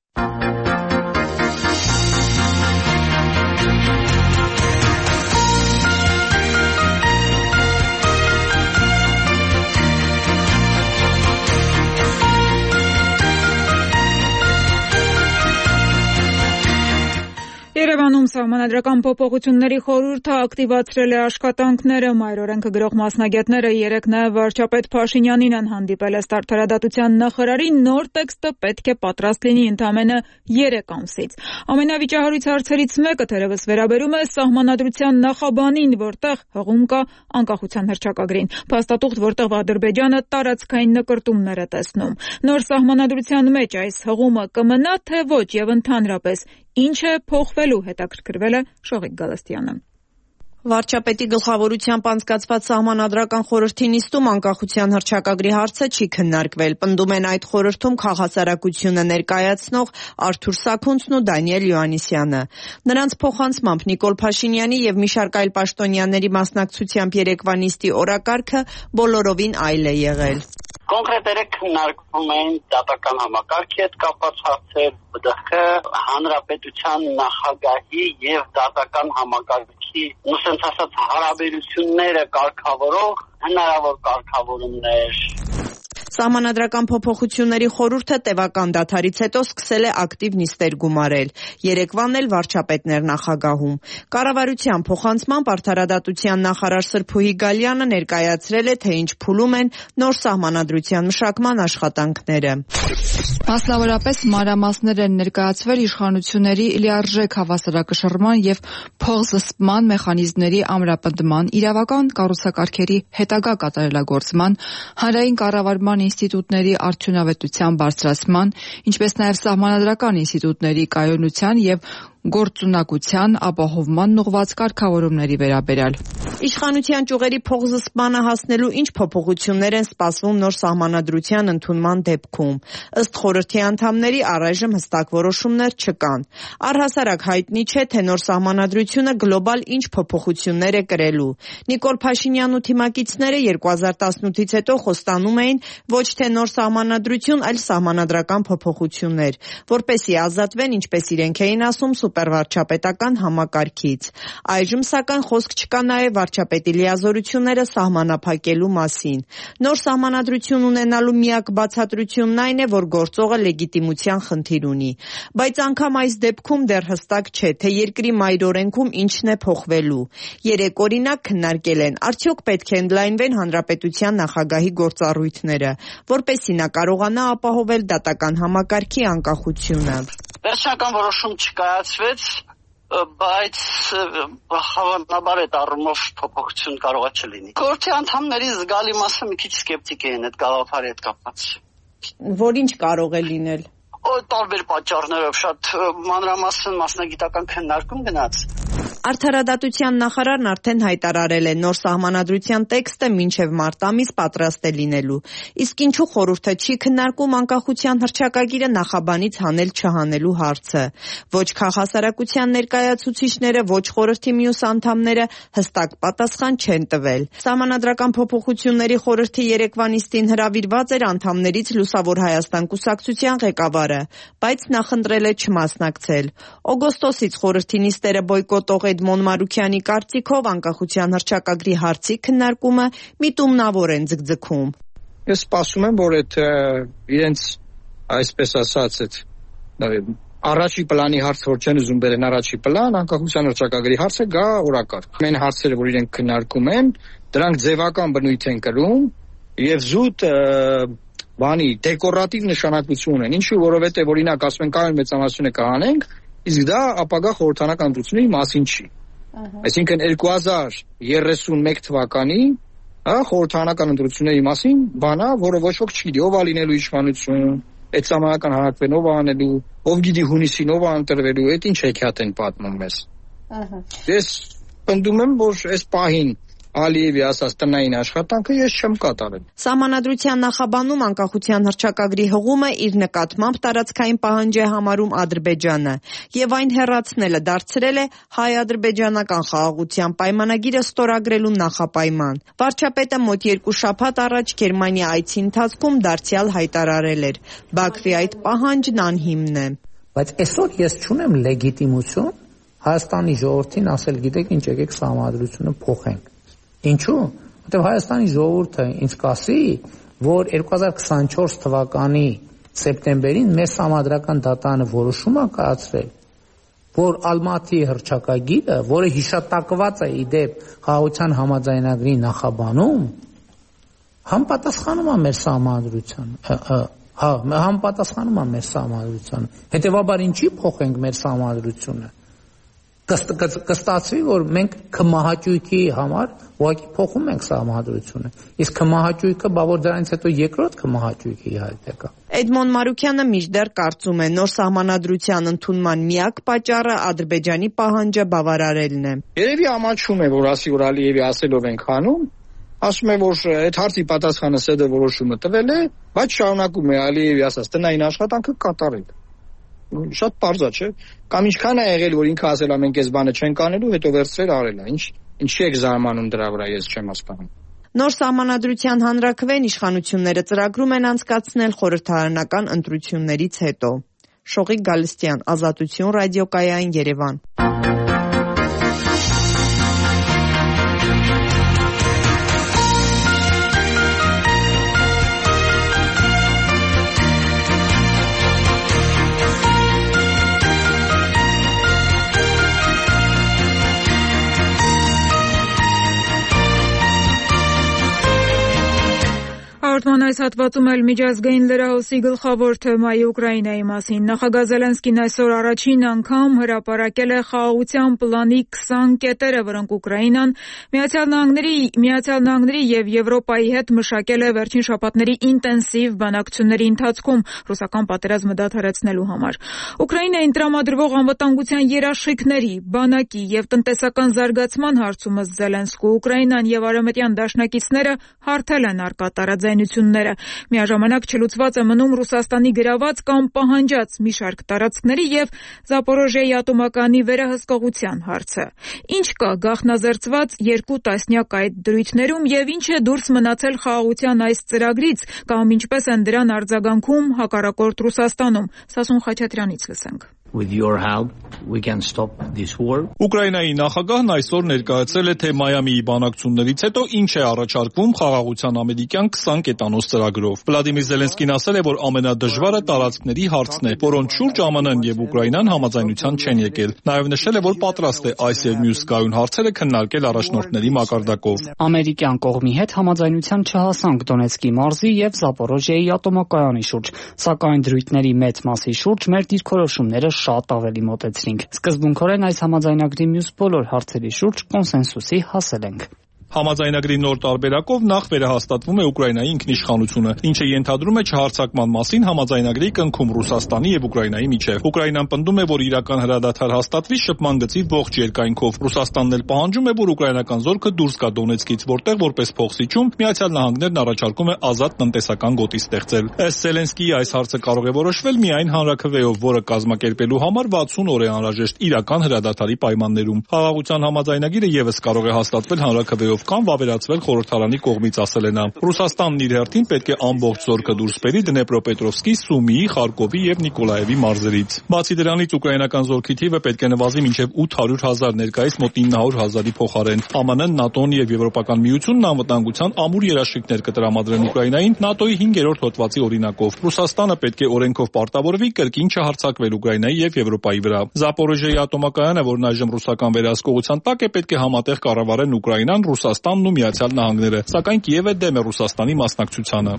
Երևանում սահմանադրական փոփոխությունների խորհուրդը ակտիվացրել է աշխատանքները։ Մայրօրենքը գրող մասնագետները երեկ նաև վարչապետ Փաշինյանին են հանդիպել։ Ըստ Արդարադատության նախարարի նոր տեքստը պետք է պատրաստ լինի ընդամենը երեք ամսից։ Ամենավիճահարույց հարցերից մեկը թերևս վերաբերում է սահմանադրության նախաբանին, որտեղ հղում կա անկախության հռչակագրին։ Փաստաթուղթ, որտեղ Ադրբեջանը տարածքային նկրտումներ է տեսնում։ Նոր սահմանադրության մեջ այս հղումը կմնա, թե ոչ, եւ ընդհանրապես ինչ է փոխվելու, հետաքրքրվել է Շողիկ Գալստյանը։ Վարչապետի գլխավորությամբ անցկացված սահմանադրական խորհրդի նիստում անկախության հռչակագրի հարցը չի քննարկվել։ Պնդում են այդ խորհրդում քաղաքասարակությունը ներկայացնող Արթուր Սաքունցն ու Դանիել Յոհաննիսյանը։ Նրանց փոխանցմամբ Նիկոլ Փաշինյանի եւ մի շարք այլ պաշտոնյաների մասնակցությամբ երեկվա նիստի օրակարգը բոլորովին այլ է եղել։ Կոնկրետորեն քննարկվում են դատական համակարգի հետ կապված հարցեր, ԲԴԽ, հանրապետության նախագահի եւ դատական համակարգի ուսանց ասած հարաբերությունները կարգավորող հնարավոր կարգավորումներ։ Սահմանադրական փոփոխությունների խորհուրդը տևական դադարից հետո սկսել է ակտիվ նիստեր գումարել։ Երեկվան էլ վարչապետներ նախագահում։ Կառավարության փոխանցմամբ Արդարադատության նախարար Սրփուհի Գալյանը ներկայացրել է, թե ինչ փուլում են նոր սահմանադրության մշակման աշխատանքները։ Մասնավորապես մանրամասներ են ներկայացվել իշխանությունների լիարժեք հավասարակշռման եւ փոխզսպման մեխանիզմների ամրապնդման, իրավական կառուցակարգերի հետագա կատարելագործման, հանրային կառավարման ինստիտուտների արդյունավետության բարձրացման, ինչպես նաև սահմանադրական ինստիտուտների կայունության եւ գործունակության ապահովման ուղղված կարգավորումների վերաբերյալ։ Իշխանության ճյուղերի փոխզսպմանը հասնելու ինչ փոփոխություններ են սպասվում նոր սահմանադրության ընդունման դեպքում։ Ըստ խորհրդի անդամների առայժմ հստակ որոշումներ չկան։ Առհասարակ հայտնի չէ, թե նոր սահմանադրությունը գլոբալ ինչ փոփոխություններ է կրելու։ Նիկոլ Փաշինյանն ու թիմակիցները երկու հազար տասնութից հետո խոստանում էին ոչ թե նոր սահմանադրություն, այլ սահմանադրական փոփոխություններ, որպեսզի ազատվեն, ինչպես իրենք էին ասում, սուպերվարչապետական համակարգից։ Այժմ սակայն խոսք չկա նաև վարչապետի լիազորությունները սահմանափակելու մասին։ Նոր սահմանադրություն ունենալու միակ բացատրությունն այն է, որ գործողը լեգիտիմության խնդիր ունի։ Բայց անգամ այս դեպքում դեռ հստակ չէ, թե երկրի մայրօրենքում ինչն է փոխվելու։ Երեք օրինակ քննարկել են, արդյոք պետք է ընդլայնվեն հանրապետության նախագահի գործառույթները, որպեսզի նա կարողանա ապահովել դատական համակարգի անկախությունը։ Վերջնական որոշում չկայացվեց, բայց հավանաբար այդ առումով փոփոխություն կարող է չլինի։ Խորհրդի անդամների զգալի մասը մի քիչ սկեպտիկ են այդ գաղափարի հետ կապված։ Որ ինչ կարող է լինել։ Տարբեր պատճառներով շատ մանրամասն մասնագիտական քննարկում գնաց։ Արդարադատության նախարարն արդեն հայտարարել է նոր սահմանադրության տեքստը մինչև մարտ ամիս պատրաստ է լինելու։ Իսկ ինչու խորհուրդը չի քննարկում անկախության հռչակագիրը նախաբանից հանել-չհանելու հարցը։ Ոչ քաղաքասարակության ներկայացուցիչները, ոչ խորհրդի մյուս անդամները հստակ պատասխան չեն տվել։ Սահմանադրական փոփոխությունների խորհրդի երեկվա նիստին հրավիրված էր անդամներից Լուսավոր Հայաստան կուսակցության ղեկավարը, բայց նախընտրել է չմասնակցել։ Օգոստոսից խորհրդի նիստերը բոյկոտող Էդմոն Մարուքյանի կարծիքով անկախության հռչակագրի հարցի քննարկումը միտումնավոր են ձգձգում։ Ես սպասում եմ, որ այդ իրենց այսպես ասած այդ առաջի պլանի հարցը, որ չեն ուզում բերեն առաջի պլան, անկախության հռչակագրի հարցը գա օրակարգ։ Ամեն հարցերը, որ իրենք քննարկում են, դրանք ձևական բնույթ են կրում եւ զուտ բանի դեկորատիվ նշանակություն են։ Ինչու, որովհետեւ օրինակ ասում են կայուն մեծամասնությունը կհանենք, իսկ դա ապագա խորհրդանական ընտրությունների մասին չի։ Այսինքն երկու հազար երեսունմեկ թվականի հա խորհրդարանական ընտրությունների մասին բանա, որը ոչ ոք չգիտի, ով ա լինելու իշխանություն, այդ ժամանական հանրակրվեն ով անելու, ով գիտի հունիսին ով անտրվելու, այդ ինչ հեքիաթ են պատմում մեզ։ Ես պնդում եմ, որ այս պահին Ալիևի ասած տնային աշխատանքը ես չեմ կատարել։ Սահմանադրության նախաբանում անկախության հռչակագրի հղումը իր նկատմամբ տարածքային պահանջ է համարում Ադրբեջանը եւ այն հեռացնելը դարձրել է հայ-ադրբեջանական խաղաղության պայմանագիրը ստորագրելու նախապայման։ Վարչապետը մոտ երկու շաբաթ առաջ Գերմանիա այցի ընթացքում դարձյալ հայտարարել էր. Բաքվի այդ պահանջն անհիմն է։ Բայց այսօր ես չունեմ լեգիտիմություն Հայաստանի ժողովրդին ասել, գիտեք ինչ, եկեք սահմանադրությունը փոխենք։ Ինչու՞։ Որտեղ Հայաստանի ժողովուրդը ինձ կասի, որ երկու հազար քսանչորս թվականի սեպտեմբերին մեր սահմանադրական դատարանը որոշում է կայացրել, որ Ալմատի հռչակագիրը, որը հիշատակված է իդեպ խաղաղության համաձայնագրի նախաբանում, համապատասխանում է մեր սահմանադրությանը, հա, համապատասխանում է մեր սահմանադրությանը։ Հետևաբար ինչի փոխենք մեր սահմանադրությունը։ Կստացվի, որ մենք քմահաճույքի համար ուղղակի փոխում ենք սահմանադրությունը։ Իսկ քմահաճույքը, բա որ դրանից հետո երկրորդ քմահաճույքը իհարկե կա։ Էդմոն Մարուկյանը մինչդեռ կարծում է, նոր սահմանադրության ընդունման միակ պատճառը Ադրբեջանի պահանջը բավարարելն է։ Երևի ամաչում է, որ ասի որ Ալիևի ասելով ենք անում, ասում է, որ այդ հարցի պատասխանը ՍԴ որոշումը տվել է, բայց շարունակում է Ալիևի ասած տնային աշխատանքը կատարել։ Շատ պարզ է, չէ՞։ Կամ ինչքան է եղել, որ ինքը ասել է մենք այս բանը չենք անելու, հետո վերցրել արել է։ Ինչ ինչի եք զարմանում դրա վրա, ես չեմ հասկանում։ Նոր սահմանադրության հանրաքվեն իշխանությունները ծրագրում են անցկացնել խորհրդարանական ընտրություններից հետո։ Շողիկ Գալստյան, Ազատություն ռադիոկայան, Երևան։ Հաղորդման այս հատվածում էլ միջազգային լրահոսի գլխավոր թեմայի Ուկրաինայի մասին։ Նախագահ Զելենսկին այսօր առաջին անգամ հրապարակել է խաղաղության պլանի քսան կետերը, որոնք Ուկրաինան Միացյալ Նահանգների, Միացյալ Նահանգների եւ Եվրոպայի հետ մշակել է վերջին շաբաթների ինտենսիվ բանակցությունների ընթացքում ռուսական պատերազմը դադարեցնելու համար։ Ուկրաինային տրամադրվող անվտանգության երաշխիքների, բանակի եւ տնտեսական զարգացման հարցում ըստ Զելենսկու Ուկրաինան եւ արևմտյան դաշնակիցները հարթել են առկա տարաձայնությունները։ Միաժամանակ չլուծված է մնում Ռուսաստանի գրաված կամ պահանջած մի շարք տարածքների եւ Զապորոժիայի ատոմականի վերահսկողության հարցը։ Ինչ կա գաղտնազերծված երկու տասնյակ այդ դրույթներում եւ ինչ է դուրս մնացել խաղաղության այս ծրագրից կամ ինչպես են դրան արձագանքում հակառակորդ Ռուսաստանում։ Սասուն Խաչատրյանից լսենք։ With your help, we can stop this war. Ուկրաինայի նախագահն այսօր ներկայացրել է թե Մայամիի բանակցություններից հետո ինչ է առաջարկվում խաղաղության ամերիկյան քսան կետանոց ծրագրով։ Վլադիմիր Զելենսկին ասել է, որ ամենադժվարը տարածքների հարցն է, որոնց շուրջ ԱՄՆ-ն եւ Ուկրաինան համաձայնության չեն եկել։ Նաեւ նշել է, որ պատրաստ է այս եւ մյուս գայուն հարցերը քննարկել առաջնորդների մակարդակով։ Ամերիկյան կողմի հետ համաձայնության չհասանք Դոնեցկի մարզի եւ Զապորոժիայի ատոմակայանի շուրջ, սակայն դրույթների մեծ մասի շուրջ մեր դիրքորոշումները շատ ավելի մոտեցրինք։ Սկզբունքորեն այս համաձայնագրի մյուս բոլոր հարցերի շուրջ կոնսենսուսի հասել ենք։ Համաձայնագրի նոր տարբերակով նախ վերահաստատվում է Ուկրաինայի ինքնիշխանությունը, ինչը ենթադրում է չհարձակման մասին համաձայնագրի կնքում Ռուսաստանի եւ Ուկրաինայի միջեւ։ Ուկրաինան պնդում է, որ իրական հրադադար հաստատվի շփման գծի ողջ երկայնքով։ Ռուսաստանն էլ պահանջում է, որ ուկրաինական զորքը դուրս գա Դոնեցկից, որտեղ որպես փոխսիջում Միացյալ Նահանգներն առաջարկում է ազատ տնտեսական գոտի ստեղծել։ Ըստ Զելենսկիի այս հարցը կարող է որոշվել միայն հանրաքվեով, որը կազմակերպելու համար վաթսուն օր է անհրաժեշտ իրական հրադադարի պայմաններում։ Խաղաղության համաձայնագիրը եւս կարող է հաստատվել հանրաքվեով կամ վավերացվել խորհրդարանի կողմից, ասել է նա։ Ռուսաստանն իր հերթին պետք է ամբողջ զորքը դուրս բերի Դնեպրոպետրովսկի, Սումիի, Խարկովի եւ Նիկոլաևի մարզերից։ Բացի դրանից ուկրաինական զորքի թիվը պետք է նվազի մինչեւ ութ հարյուր հազար, ներկայիս մոտ ինը հարյուր հազարի փոխարեն։ ԱՄՆ-ն, ՆԱՏՕ-ն եւ Եվրոպական միությունն անվտանգության ամուր երաշխիքներ կտրամադրեն Ուկրաինային ՆԱՏՕ-ի հինգերորդ հոդվածի օրինակով։ Ռուսաստանը պետք է օրենքով պարտավորվի կրկին չհարձակվել Ուկրաինայի եւ Եվրոպայի վրա։ Զապորոժիայի ատոմակայանը, որն այժմ ռուսական վերահսկողության տակ է, պետք է համատեղ կառավարեն Ուկրաինան, Ռուսաստանն ու Միացյալ Նահանգները, սակայն Կիևը դեմ է Ռուսաստանի մասնակցությանը։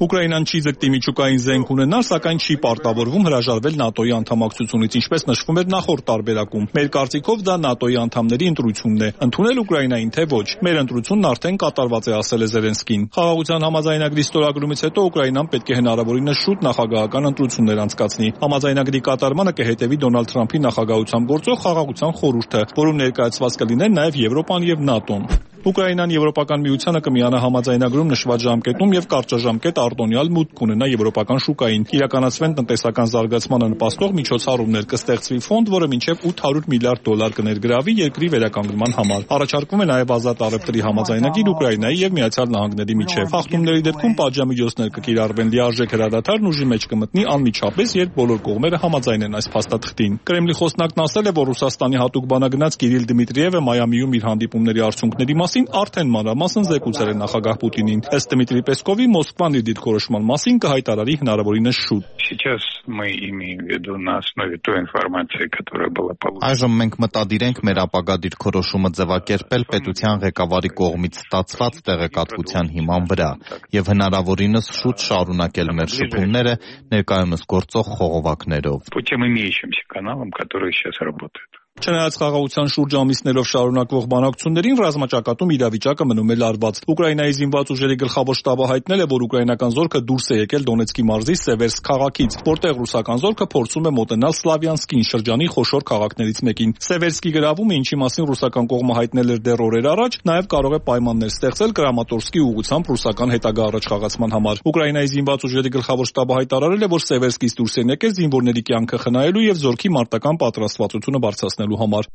Ուկրաինան չի ձգտի միջուկային զենք ունենալ, սակայն չի պարտավորվում հրաժարվել ՆԱՏՕ-ի անդամակցությունից, ինչպես նշվում էր նախորդ տարբերակում։ Մեր կարծիքով դա ՆԱՏՕ-ի անդամների ընտրությունն է։ Ընդունել Ուկրաինային թե ոչ։ Մեր ընտրությունն արդեն կատարված է, ասել է Զելենսկին։ Խաղաղության համաձայնագրի ստորագրումից հետո Ուկրաինան պետք է հնարավորինս շուտ նախագահական ընտրություններ անցկացնի։ Համաձայնագրի կատարմանը կհետևի Դոնալդ Թրամփի նախագահությամբ գործող խաղաղության խորհուրդը, որում ներկայացված կլինեն նաև Եվրոպան եւ ՆԱՏՕ-ն։ Ուկրաինան Եվրոպական միությանը կմիանա համաձայնագրում նշված ժամկետում եւ կարճաժամկետ արտոնյալ մուտք կունենա եվրոպական շուկային։ Իրականացվեն տնտեսական զարգացմանը նպաստող միջոցառումներ, կստեղծվի ֆոնդ, որը մինչեւ ութ հարյուր միլիարդ դոլար կներգրավի երկրի վերականգնման համար։ Առաջարկվում է նաև ազատ առևտրի համաձայնագիր Ուկրաինայի եւ Միացյալ Նահանգների միջեւ։ Խախտումների դեպքում պատժամիջոցներ կկիրառվեն, լիարժեք հրադադարն ուժի մեջ կմտնի անմիջապես, երբ բոլոր կողմերը համաձայնեն այս փաստաթղթին։ Կրեմլի խոսնակն ասել է, որ Ռուսաստանի հատուկ բանագնաց Կիրիլ Դմիտրիևը Մայամիում իր հանդիպումների արդյունքների մասին արդեն մանրամասն զեկուցել է նախագահ Պուտինին։ Ըստ Դմիտրի Պեսկովի, Մոսկվան իր դիրքորոշման մասին կհայտարարի հնարավորինս շուտ։ Այժմ մենք մտադիր ենք մեր ապագա դիրքորոշումը ձևակերպել պետության ղեկավարի կողմից ստացված տեղեկատվության հիման վրա եւ հնարավորինս շուտ շարունակել մեր շփումները ներկայումս գործող խողովակներով։ Չնայած խաղաղության շուրջ ամիսներով շարունակվող բանակցություններին, ռազմաճակատում իրավիճակը մնում է լարված։ Ուկրաինայի զինված ուժերի գլխավոր շտաբը հայտնել է, որ ուկրաինական զորքը դուրս է եկել Դոնեցկի մարզի Սևերսկ քաղաքից, որտեղ ռուսական զորքը փորձում է մոտենալ Սլավյանսկին, շրջանի խոշոր քաղաքներից մեկին։ Սևերսկի գրավումը, ինչի մասին ռուսական կողմը հայտնել էր դեռ օրեր առաջ, նաև կարող է պայմաններ ստեղծել Կրամատորսկի ուղղությամբ ռուսական հետագա առաջխաղացման համար։ Ուկրաինայի զինված ուժերի գլխավոր շտաբը հայտարարել է, որ Սևերսկից դուրս են եկել զինվորների կյանքը խնայելու եւ զորքի մարտական պատրաստվածությունը բարձրացնելու համար։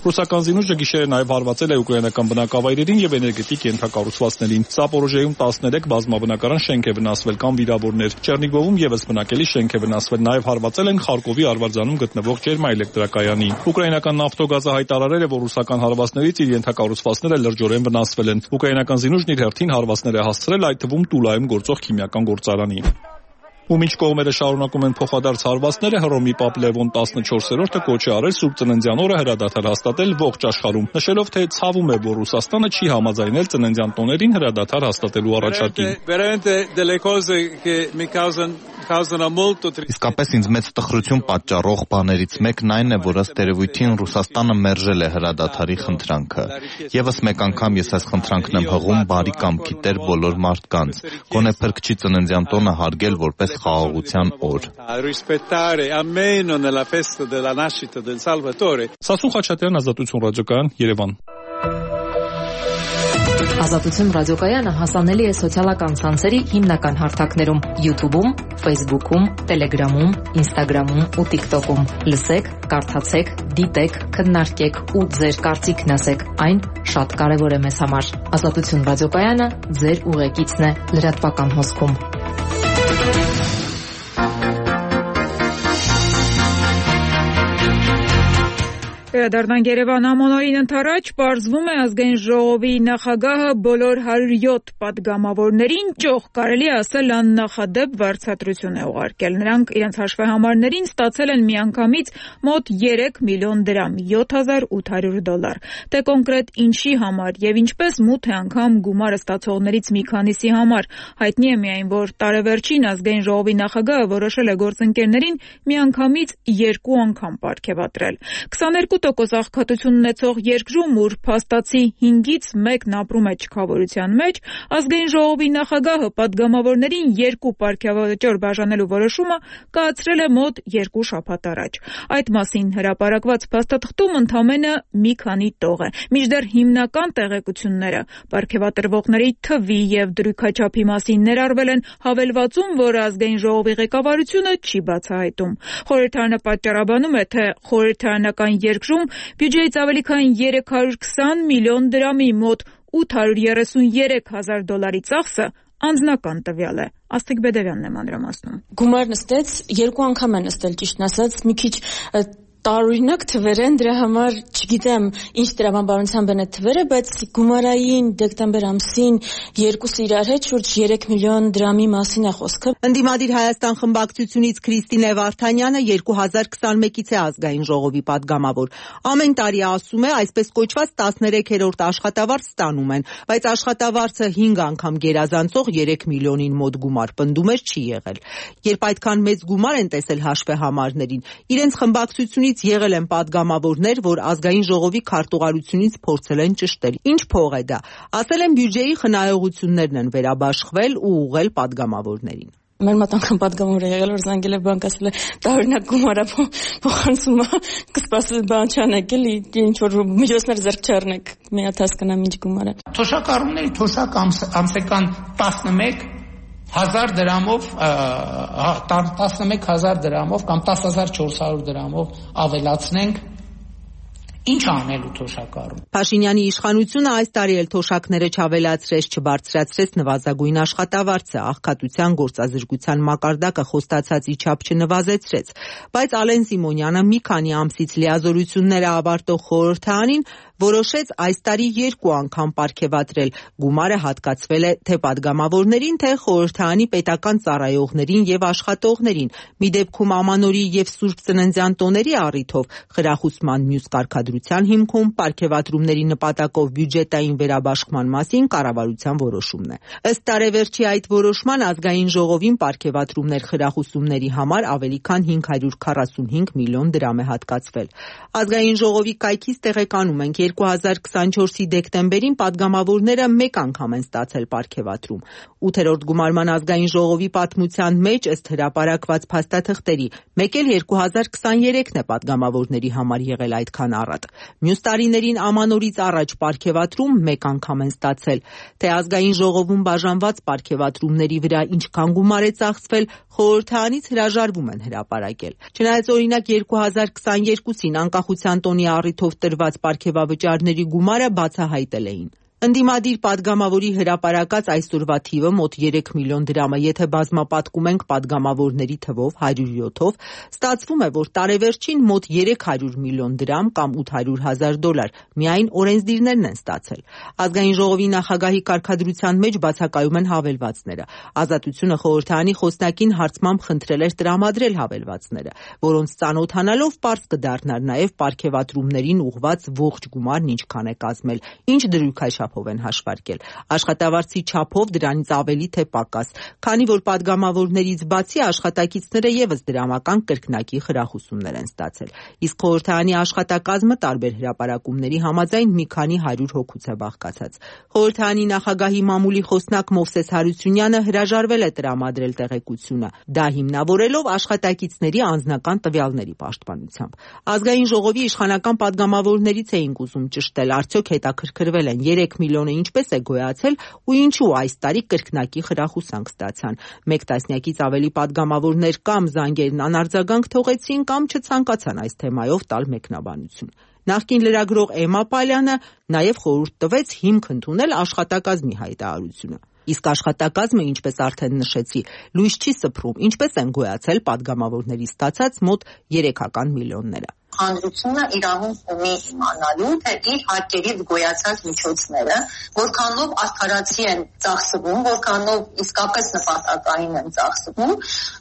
Ռուսական զինուժը գիշերը նաև հարվածել է ուկրաինական բնակավայրերին եւ էներգետիկ ենթակառուցվածքներին։ Սապորոժեում տասներեք բազմաբնակարան շենք է վնասվել կամ վիրավորներ։ Չեռնիգովում եւս բնակելի շենք է վնասվել, նաև հարվածել են Խարկովի Արվարձանում գտնվող ջերմաէլեկտրակայանի։ Ուկրաինական նավթոգազը հայտարարել է, որ ռուսական հարվածներից իր ենթակառուցվածքները լրջորեն վնասվել են։ Ուկրաինական զինուժն իր հերթին հարվածներ է հասցրել, այդ թվում Տուլայում գործող քիմիական գործարանի։ Ու մինչ կողմերը շարունակում են փոխադարձ հարվածները, Հռոմի Պապ Լևոն տասնչորսերորդը կոչ է արել Սուրբ Ծննդյան օրը հրադադար հաստատել ողջ աշխարհում, նշելով, թե ցավում է, որ Ռուսաստանը չի համաձայնել ծննդյան տոներին հրադադար հաստատելու առաջարկին։ Իսկապես ինձ մեծ տխրություն պատճառող բաներից մեկն այն է, որ ըստ երևույթին Ռուսաստանը մերժել է հրադադարի խնդրանքը։ Եվս մեկ անգամ ես այս խնդրանքն եմ հղում բարի կամքի տեր բոլոր մարդկանց, գոնե Փրկչի ծննդյան տոնը հարգել որպես խաղաղության օր։ Սասուն Խաչատրյան, Ազատություն ռադիոկայան, Երևան։ Ազատություն ռադիոկայանը հասանելի է սոցիալական ցանցերի հիմնական հարթակներում՝ YouTube-ում, Facebook-ում, Telegram-ում, Instagram-ում ու TikTok-ում։ Լսեք, կարդացեք, դիտեք, քննարկեք ու ձեր կարծիքն ասեք։ Այն շատ կարևոր է մեզ համար։ Ազատություն ռադիոկայանը ձեր ուղեկիցն է լրատվական հոսքում։ Վերադառնանք Երևան ամոնորին ընթരാճ, պարզվում է ազգային ժողովի նախագահը բոլոր հարյուր յոթ պատգամավորներին ճոխ կարելի ասել աննախադեպ վարձատրություն է ուղարկել։ Նրանք իրենց հաշվեհամարներին ստացել են միանգամից մոտ երեք միլիոն դրամ, յոթ հազար ութ հարյուր դոլար։ Թե կոնկրետ ինչի համար եւ ինչպես մութ է անգամ գումարը ստացողներից մի քանիսի համար, հայտնի է միայն, որ տարեվերջին ազգային ժողովի նախագահը որոշել է գործընկերներին միանգամից երկու անգամ պարգևատրել։ քսաներկու տոկոս աղքատություն ունեցող երկրում, ուր փաստացի հինգից մեկն ապրում է չքավորության մեջ, ազգային ժողովի նախագահը պատգամավորներին երկու պարգևաճոր բաժանելու որոշումը կայացրել է մոտ երկու շաբաթ առաջ։ Այդ մասին հրապարակված փաստաթղթում ընդամենը մի քանի տող է, մինչդեռ հիմնական տեղեկությունները պարգևատրվողների թվի եւ դրույքաչափի մասին ներառվել են հավելվածում, որ ազգային ժողովի ղեկավարությունը չի բացահայտում։ Խորհրդարանը պատճառաբանում է, թե խորհրդարանական երկրում բյուջեից ավելի քան երեք հարյուր քսան միլիոն դրամի մոտ ութ հարյուր երեսունյերեք հազար դոլարի ծախսը անձնական տվյալ է։ Աստղիկ Բեդևյանն է մանրամասնում։ Գումար նստեց, երկու անգամ է նստել, ճիշտն ասած, մի քիչ տարօրինակ թվեր են, դրա համար չգիտեմ ինչ տրամաբանությամբ են այդ թվերը, բայց գումարային դեկտեմբեր ամսին երկուսը իրար հետ շուրջ երեք միլիոն դրամի մասին է խոսքը։ Ընդդիմադիր Հայաստան խմբակցությունից Քրիստինե Վարդանյանը երկու հազար քսանմեկից է ազգային ժողովի падգամավոր։ Ամեն տարի ասում է, այսպես կոչված տասներեքերորդ աշխատավարձ ստանում են, բայց աշխատավարձը հինգ անգամ գերազանցող երեք միլիոնին մոտ գումար պնդում էր չի եղել։ Երբ այդքան մեծ գումար են տեսել հաշվեհամարներին, իրենց խմբակցությունից եղել են падգամավորներ, որ ազգային ժողովի քարտուղարությունից փորձել են ճշտել։ Ինչ փող է դա։ Ասել են բյուջեի խնայողություններն են վերաբաշխվել ու ուղղել падգամավորներին։ Մեր մոտ անգամ падգամավոր է եղել, որ զանգել է բանկ, ասել է տարօրինակ գումարա փոխանցում է, կսպասել բան չանեք, էլի ինչ որ միջոցներ ձեռք չառնեք, մի հատ հասկանամ ինչ գումար է։ Թոշակառուների թոշակ ամսական տասնմեկ հազար դրամով տասնմեկ հազար դրամով կամ տասը հազար չորս հարյուր դրամով ավելացնենք, ինչ անելու թոշակառուն։ Փաշինյանի իշխանությունը այս տարի էլ թոշակները չավելացրեց, չբարձրացրեց նվազագույն աշխատավարձը, աղքատության գործազրկության մակարդակը խոստացածի չափ չնվազեցրեց, բայց Ալեն Սիմոնյանը մի քանի ամսից լիազորությունները ավարտող խորհրդարանին որոշեց այս տարի երկու անգամ պարգևատրել։ Գումարը հատկացվել է թե падգամավորներին, թե խորհրդարանի պետական ծառայողներին եւ աշխատողներին։ Մի դեպքում Ամանորի եւ Սուրբ Ծննդյան տոների առիթով խրախուսման մյուս կարգադրության հիմքում պարգևատրումների նպատակով բյուջետային վերաբաշխման մասին կառավարության որոշումն է։ Ըստ տարեվերջի այդ որոշման ազգային ժողովին պարգևատրումներ խրախուսումների համար ավելի քան հինգ հարյուր քառասունհինգ միլիոն դրամ է հատկացվել։ Ազգային ժողովի կայքից տեղեկանում ենք երկու հազար քսանչորսի դեկտեմբերին падգամավորները մեկ անգամ են ստացել պարգևատրում։ ութերորդ գումարման ազգային ժողովի պատմության մեջ ըստ հրապարակված փաստաթղթերի մեկ էլ երկու հազար քսաներեքն է падգամավորների համար եղել այդքան առատ։ Մյուս տարիներին Ամանորից առաջ պարգևատրում մեկ անգամ են ստացել։ Թե ազգային ժողովում բաժանված պարգևատրումների վրա ինչքան գումար է ծախսվել, խորհրդարանից հրաժարվում են հրապարակել։ Չնայած օրինակ երկու հազար քսաներկուսին անկախության տոնի առիթով տրված պարգևավճարների գումարը բացահայտել էին։ Ընդդիմադիր падգամավորի հրապարակած այսօրվա թիվը մոտ երեք միլիոն դրամ է, եթե բազմապատկում ենք падգամավորների թվով հարյուր յոթով, ստացվում է, որ տարեվերջին մոտ երեք հարյուր միլիոն դրամ կամ ութ հարյուր հազար դոլար միայն օրենսդիրներն են ստացել։ Ազգային ժողովի նախագահի կարգադրության մեջ բացակայում են հավելվածները։ Ազատությունը խորհրդարանի խոսնակին հարցմամբ խնդրել էր տրամադրել հավելվածները, որոնց ծանոթանալով պարզ կդառնար նաև պարգևատրումներին ուղղված ողջ գումարն ինչքան է կազմել, ինչ դրույքաչափ են հաշվարկել։ Աշխատավարձի չափով դրանից ավելի թե պակաս, քանի որ падգամավորներից բացի աշխատակիցները եւս դրամական կրկնակի խրախուսումներ են ստացել։ Իսկ խորհրդարանի աշխատակազմը տարբեր հրապարակումների համաձայն մի քանի հարյուր հոգուց է բաղկացած։ Խորհրդարանի նախագահի մամուլի խոսնակ Մովսես Հարությունյանը հրաժարվել է տրամադրել տեղեկությունը, դա հիմնավորելով աշխատակիցների անձնական տվյալների պաշտպանությամբ։ Ազգային ժողովի իշխանական падգամավորներից էինք ուզում ճշտել, արդյոք հետաքրքրվել են երեք միլիոնը ինչպես է գոյացել ու ինչու այս տարի կրկնակի խրախուսանք ստացան։ Մեկ տասնյակից ավելի падգամավորներ կամ զանգերն անարձագանք թողեցին կամ չցանկացան այս թեմայով տալ մեկնաբանություն։ Նախկին լրագրող Էմմա Պալյանը նաև խորհուրդ տվեց հիմք ընդունել աշխատակազմի հայտարարությունը։ Իսկ աշխատակազմը, ինչպես արդեն նշեցի, լույս չի սփռում, ինչպես են գոյացել падգամավորների ստացած մոտ երեքական միլիոնները։ Հանրությունը իրավունք ունի իմանալու, թե իր հարկերից գոյացած միջոցները որքանով արդարացի են ծախսվում, որքանով իսկապես նպատակային են ծախսվում։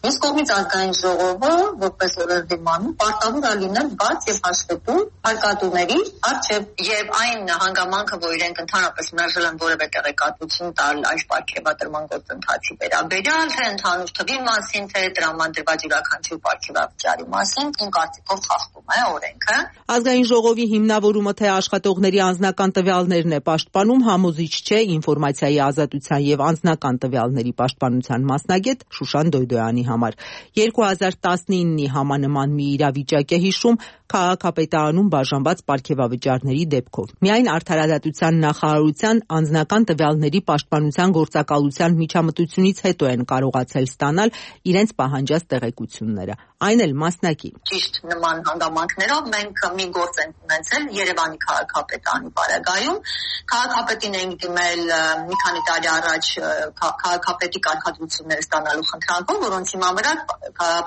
Մյուս կողմից ազգային ժողովը, որպես օրենսդիրություն, պարտավոր է լինել բաց եւ հաշվետու հարկատուների առջեւ եւ այն հանգամանքը, որ իրենք ընդհանրապես մերժել են որևէ տեղեկատվություն տալ այս պարգևատրման գործընթացի վերաբերյալ, թե ընդհանուր թվի մասին, թե տրամադրված յուրաքանչյուր պարգևավճարի մասին, իմ կարծիքով խախտում է օրենքը։ Ազգային ժողովի հիմնավորումը թե աշխատողների անձնական տվյալներն է պաշտպանում համոզիչ չէ ինֆորմացիայի ազատության եւ անձնական տվյալների պաշտպանության մասնագետ Շուշան Դոյդոյանի համար։ երկու հազար տասնինի համանման մի իրավիճակ է հիշում քաղաքապետարանում բաժանված պարգևավճարների դեպքով։ Միայն Արդարադատության նախարարության անձնական տվյալների պաշտպանության գործակալության միջամտությունից հետո են կարողացել ստանալ իրենց պահանջած տեղեկությունները, այն էլ մասնակի։ Ճիշտ նման հանգամանքներով մենք մի գործ ենք ունեցել Երևանի քաղաքապետարանի պարագայում։ Քաղաքապետին ենք դիմել մի քանի տարի առաջ քաղաքապետի կարգադրությունները ստանալու խնդրանքով, որոնց հիման վրա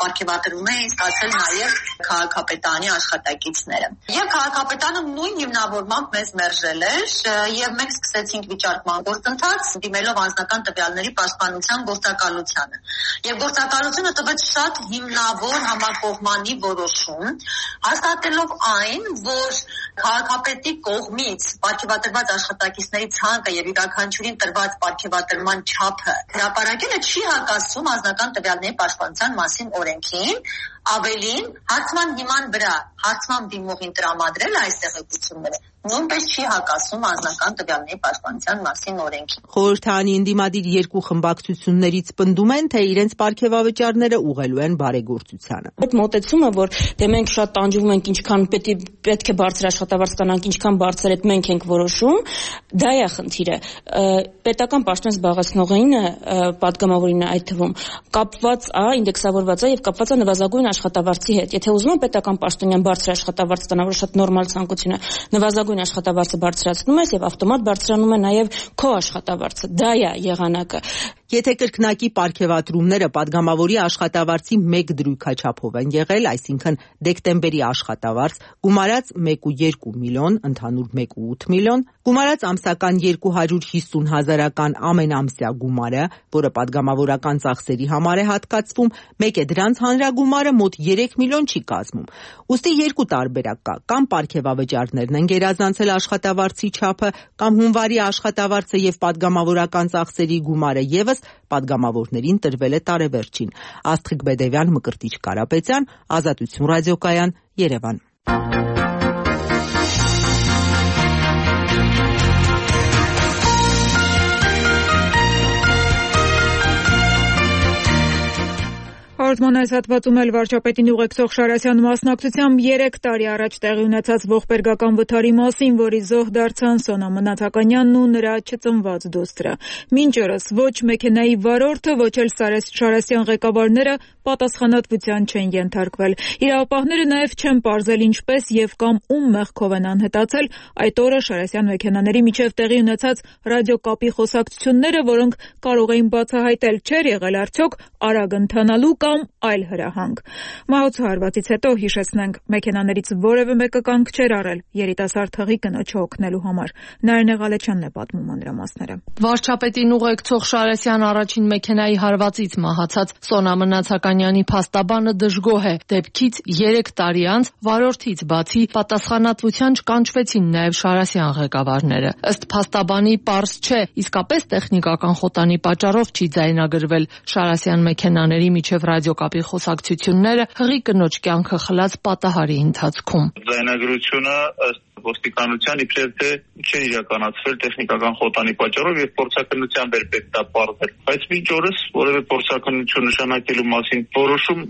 պարգևատրում էին ստացել նաև քաղաքապետարանի աշխատակիցները։ Եվ քաղաքապետարանը նույն հիմնավորմամբ մեզ մերժել էր եւ մենք սկսեցինք վիճարկման գործընթաց դիմելով անձնական տվյալների պաշտպանության գործակալությանը։ Եվ գործակալությունը տվեց շատ հիմնավոր համակողմանի որոշում, հաստատելով այն, որ քաղաքապետի կողմից պարգևատրված աշխատակիցների ցանկը եւ յուրաքանչյուրին տրված պարգևատրման չափը հրապարակելը չի հակասում անձնական տվյալների պաշտպանության մասին օրենքին, ավելին հարցման հիման վրա հարցման դիմողին տրամադրել այս տեղեկությունները նույնպես չի հակասում անձնական տվյալների պաշտպանության մասին օրենքին։ Խորհրդարանի ընդդիմադիր երկու խմբակցություններից պնդում են, թե իրենց պարգևավճարները ուղղելու են բարեգործությանը։ Այդ մոտեցումը, որ դե մենք շատ տանջվում ենք, ինչքան պետք է բարձր աշխատավարձ կանանք, ինչքան բարձր այդ մենք ենք որոշում, դա է խնդիրը։ Պետական պաշտոն զբաղեցնողինը, պատգամավորինը այդ թվում, կապված է, ինդեքսավորված է եւ կապված է նվազագույն աշխատավարձի հետ։ Եթե ուզում է պետական պաշտոնյան բարձր աշխատավարձ ստանալ, որ շատ նորմալ ցանկություն է, նվազագույն աշխատավարձը բարձրացնում ես եւ ավտոմատ բարձրանում է նաեւ քո աշխատավարձը։ Դա է եղանակը։ Եթե կրկնակի պարգևատրումները падգամավորի աշխատավարձի մեկ դրույքաչափով են եղել, այսինքն դեկտեմբերի աշխատավարձ, գումարած մեկ կόμμα երկու միլիոն, ընդհանուր մեկ կόμma ութ միլիոն, գումարած ամսական երկու հարյուր հիսուն հազարական ամենամսյա գումարը, որը падգամավորական ծախսերի համար է հատկացվում, մեկ է դրանց հանրագումարը մոտ երեք միլիոն չի կազմում։ Ուստի երկու տարբերակ կա, կամ պարգևավճարներն են գերազանցել աշխատավարձի չափը, կամ հունվարի աշխատավարձը եւ падգամավորական ծախսերի գումարը եւս падգամավորներին տրվել է տարեվերջին։ Աստղիկ Բեդևյան, Մկրտիչ Կարապետյան, Ազատություն ռադիոկայան, Երևան։ Հաղորդման այս հատվածում էլ վարչապետին ուղեկցող Շարասյան մասնակցությամբ երեք տարի առաջ տեղի ունեցած ողբերգական վթարի մասին, որի զոհ դարձան Սոնա Մնացականյանն ու նրա չծնված դուստրը։ Մինչ օրս ոչ մեքենայի վարորդը, ոչ էլ Շարասյան ղեկավարները պատասխանատվության չեն ենթարկվել։ Իրավապահները նաև չեն պարզել ինչպես եւ կամ ում մեղքով են անհետացել այդ օրը Շարասյան մեքենաների միջև տեղի ունեցած ռադիոկապի խոսակցությունները, որոնք կարող էին բացահայտել չէր եղել արդյոք արագ ընթանալու կամ այլ հրահանգ։ Մահացու հարվածից հետո հիշեցնենք, մեքենաներից որևէ մեկը կանգ չէր առել երիտասարդ հղի կնոջը օգնելու համար։ Նարինե Ղալեչյանն է պատմում մանրամասները։ Վարչապետին ուղեկցող Շարասյան առաջին մեքենայի հարվածից մահացած Սոնա Մնացականյանի փաստաբանը դժգոհ է։ Դեպքից երեք տարի անց վարորդից բացի պատասխանատվության չկանչվեցին նաև Շարասյան ղեկավարները։ Ըստ փաստաբանի պարզ չէ, իսկապես տեխնիկական խոտանի պատճառով չի ձայնագրվել Շարասյան մեքենաների միջև ռադիոկապի խոսակցությունները հղի կնոջ կյանքը խլած պատահարի ընթացքում։ Ձայնագրությունը ըստ ոստիկանության իբրև թե չէ իրականացվել տեխնիկական խոտանի պատճառով եւ փորձակնությամբ էր պետք դա պարզել։ Բայց մինչ օրս որևէ փորձակնություն նշանակելու մասին որոշում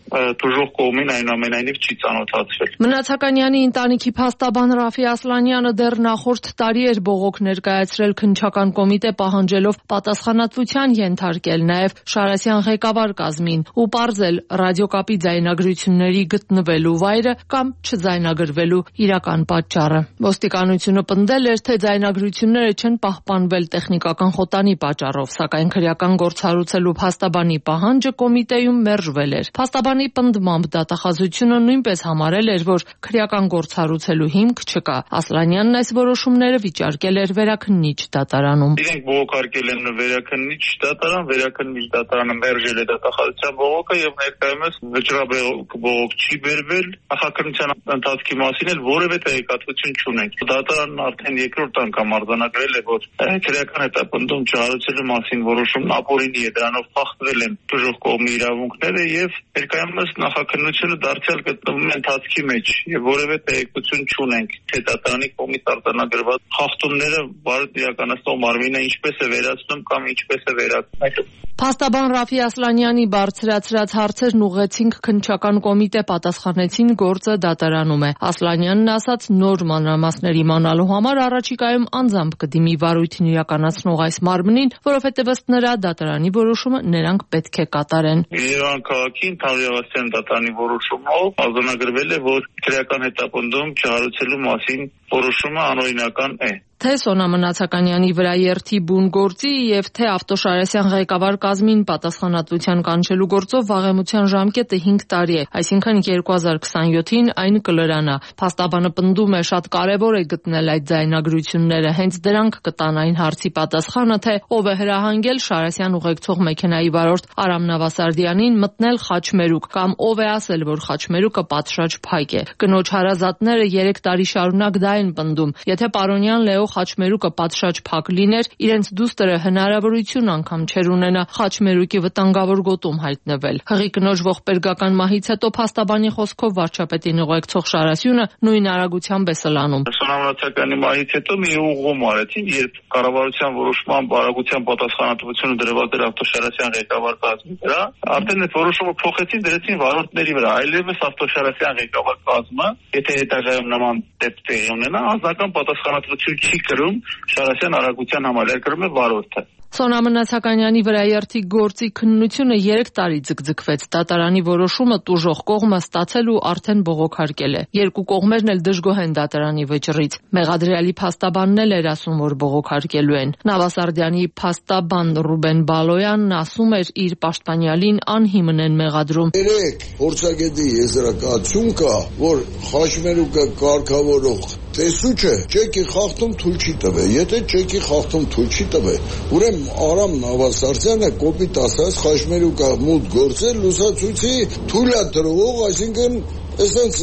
դժոխ կողմին այնուամենայնիվ չի ծանոթացվել։ Մնացականյանի ընտանիքի փաստաբան Ռաֆի Ասլանյանը դեռ նախորդ տարի էր բողոք ներկայացրել քննչական կոմիտե պահանջելով պատասխանատվության ենթարկել նաև Շարասյան ղեկավար կազմին ու պարզել ռադիոկապի ձայնագրությունների գտնվելու վայրը կամ չձայնագրվելու իրական պատճառը։ Ոստիկանությունը պնդել էր, թե ձայնագրությունները չեն պահպանվել տեխնիկական խոտանի պատճառով, սակայն քրեական գործառույցելու փաստաբանի պահանջը կոմիտեում մերժվել էր։ Փաստաբանի պնդմամբ դատախազությունը նույնպես համարել էր, որ քրեական գործառույցելու հիմք չկա։ Ասլանյանն այս որոշումները վիճարկել էր վերաքննիչ դատարանում։ Իրենք բողոքարկել են վերաքննիչ դատարան, վերաքննիչ դատարանը մերժել է դատախազության բողոքը եւ ներկայումս վճռաբեկ բողոք չի բերվել։ Նախաքննության ընթացքի մասին էլ որևէ տեղեկատվություն չունենք։ Դատարանն արդեն երկրորդ անգամ արձանագրել է, որ քրեական հետապնդում չհարուցելու մասին որոշումն ապօրինի է, դրանով խախտվել են դժոխք կողմի իրավունքները եւ ներկայումս նախաքննությունը դարձյալ գտնվում է ընթացքի մեջ եւ որևէ տեղեկություն չունենք, թե դատարանի կողմից արձանագրված խախտումները բարդ իրականացնող մարմինը ինչպես է վերացնում կամ ինչպես է վերացնում։ Փաստաբան Ռաֆի Ասլանյանի բարձրացրած հարցերն ուղղեցինք քննչական կոմիտե, պատասխանեցին գործը դատարանում է։ Ասլանյանն ասաց, նոր մանրամասներ իմանալու համար առաջիկայում անձամբ կդիմի վարույթին իրականացնող այս մարմնին, որովհետև ըստ նրա դատարանի որոշումը նրանք պետք է կատարեն։ Երևան քաղաքի ընդհանրավաստիան դատարանի որոշումով արձանագրվել է, որ քրեական հետապնդում չհարուցելու մասին որոշումը անօրինական է։ Թե Սոնա Մնացականյանի վրա երթի բուն գործի եւ թե Ավտոշարասյան ղեկավար կազմին պատասխանատվության կանչելու գործով վաղեմության ժամկետը հինգ տարի է, այսինքն երկու հազար քսանյոթին այն կլրանա։ Փաստաբանը պնդում է, շատ կարևոր է գտնել այդ ձայնագրությունները, հենց դրանք կտան այն հարցի պատասխանը, թե ով է հրահանգել Շարասյան ուղեկցող մեքենայի վարորդ Արամ Նավասարդյանին մտնել Խաչմերուկ կամ ով է ասել, որ Խաչմերուկը պատշաճ փայկ է։ Կնոջ հարազատները երեք տարի շարունակ դա են պնդում։ Եթե պարոնյան Լեո Խաչմերուկը պատշաճ փակ լիներ, իրենց դուստրը հնարավորություն անգամ չեր ունենա Խաչմերուկի վտանգավոր գոտում հայտնվել։ Հղի կնոջ ողբերգական մահից հետո փաստաբանի խոսքով վարչապետին ուղեկցող Շարասյունը նույն արագությամբ է սլանում։ Սոնա Մնացականի մահից հետո մի ուղղում արեցին, երբ կառավարության որոշման բարագության պատասխանատվությունը դրված էր Ավտոշարասյան ղեկավար կազմի վրա, արդեն այդ որոշումը փոխեցին, դրեցին վարորդների վրա, այլևս Ավտոշարասյան ղեկավար կազմը, եթե հետագայում նման դեպք տեղի ունենա, անձնական պատասխանատվություն չի կրում Շարասյան արագության համար, կրում է վարորդը։ Սոնա Մնացականյանի վրա երթի գործի քննությունը երեք տարի ձգձգվեց։ Դատարանի որոշումը տուժող կողմը ստացել ու արդեն բողոքարկել է։ Երկու կողմերն էլ դժգոհ են դատարանի վճռից։ Մեղադրյալի փաստաբանն էլ էր ասում, որ բողոքարկելու են։ Նավասարդյանի փաստաբան Ռուբեն Բալոյանն ասում էր, իր պաշտպանյալին անհիմն են մեղադրում։ Երեք փորձագետի եզրակացություն կա, որ Խաչմերուկը կարգավորող տեսուչը չեկի խախտում թույլ չի տվել։ Եթե չեկի խախտում թույլ չի տվել, ուրեմն Արամ Նավասարդյանը կոպիտ ասած Խաչմերուկը մուտք գործել լուսացույցի թույլատրող, այսինքն Այսպես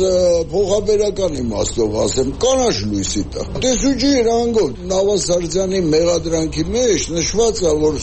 փոխաբերական իմաստով ասեմ, կանաչ լույսի տա։ Տեսուչի հրանգով Նավասարդյանի մեղադրանքի մեջ նշված է, որ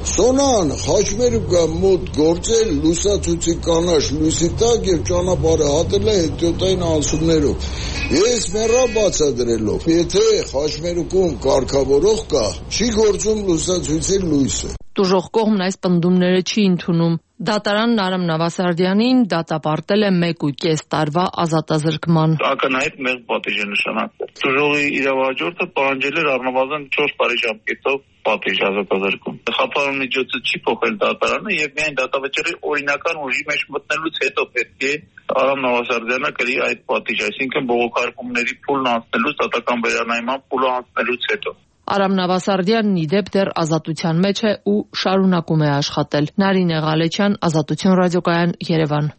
Սոնան Խաչմերուկը մոտ գործել լուսացույցի կանաչ լույսի տակ եւ ճանապարհը հատել է հետիոտային անցումներով։ Ես մեռա բացադրելով, եթե Խաչմերուկում կարգավորող կա, չի գործում լուսացույցի լույսը։ Տուժող կողմն այս պնդումները չի ընդունում։ Դատարանն Արամ Նավասարդյանին դատապարտել է մեկ ու կես տարվա ազատազրկման։ Ակնհայտ մեծ պատիժ է նշանակվել։ Տուժողի իրավահաջորդը պահանջել էր առնվազն չորս տարի ժամկետով պատիժ ազատազրկում։ Խափանուն միջոցը չի փոխել դատարանը եւ միայն դատավճիռի օրինական ուժի մեջ մտնելուց հետո պետք է Արամ Նավասարդյանը կրի այդ պատիժը, այսինքն բողոքարկումների փուլն անցնելուց, դատական վերանայման փուլը անցնելուց հետո։ Արամ Նավասարդյանն ի դեպ դեռ ազատության մեջ է ու շարունակում է աշխատել։ Նարինե Ղալեչյան, Ազատություն ռադիոկայան, Երևան։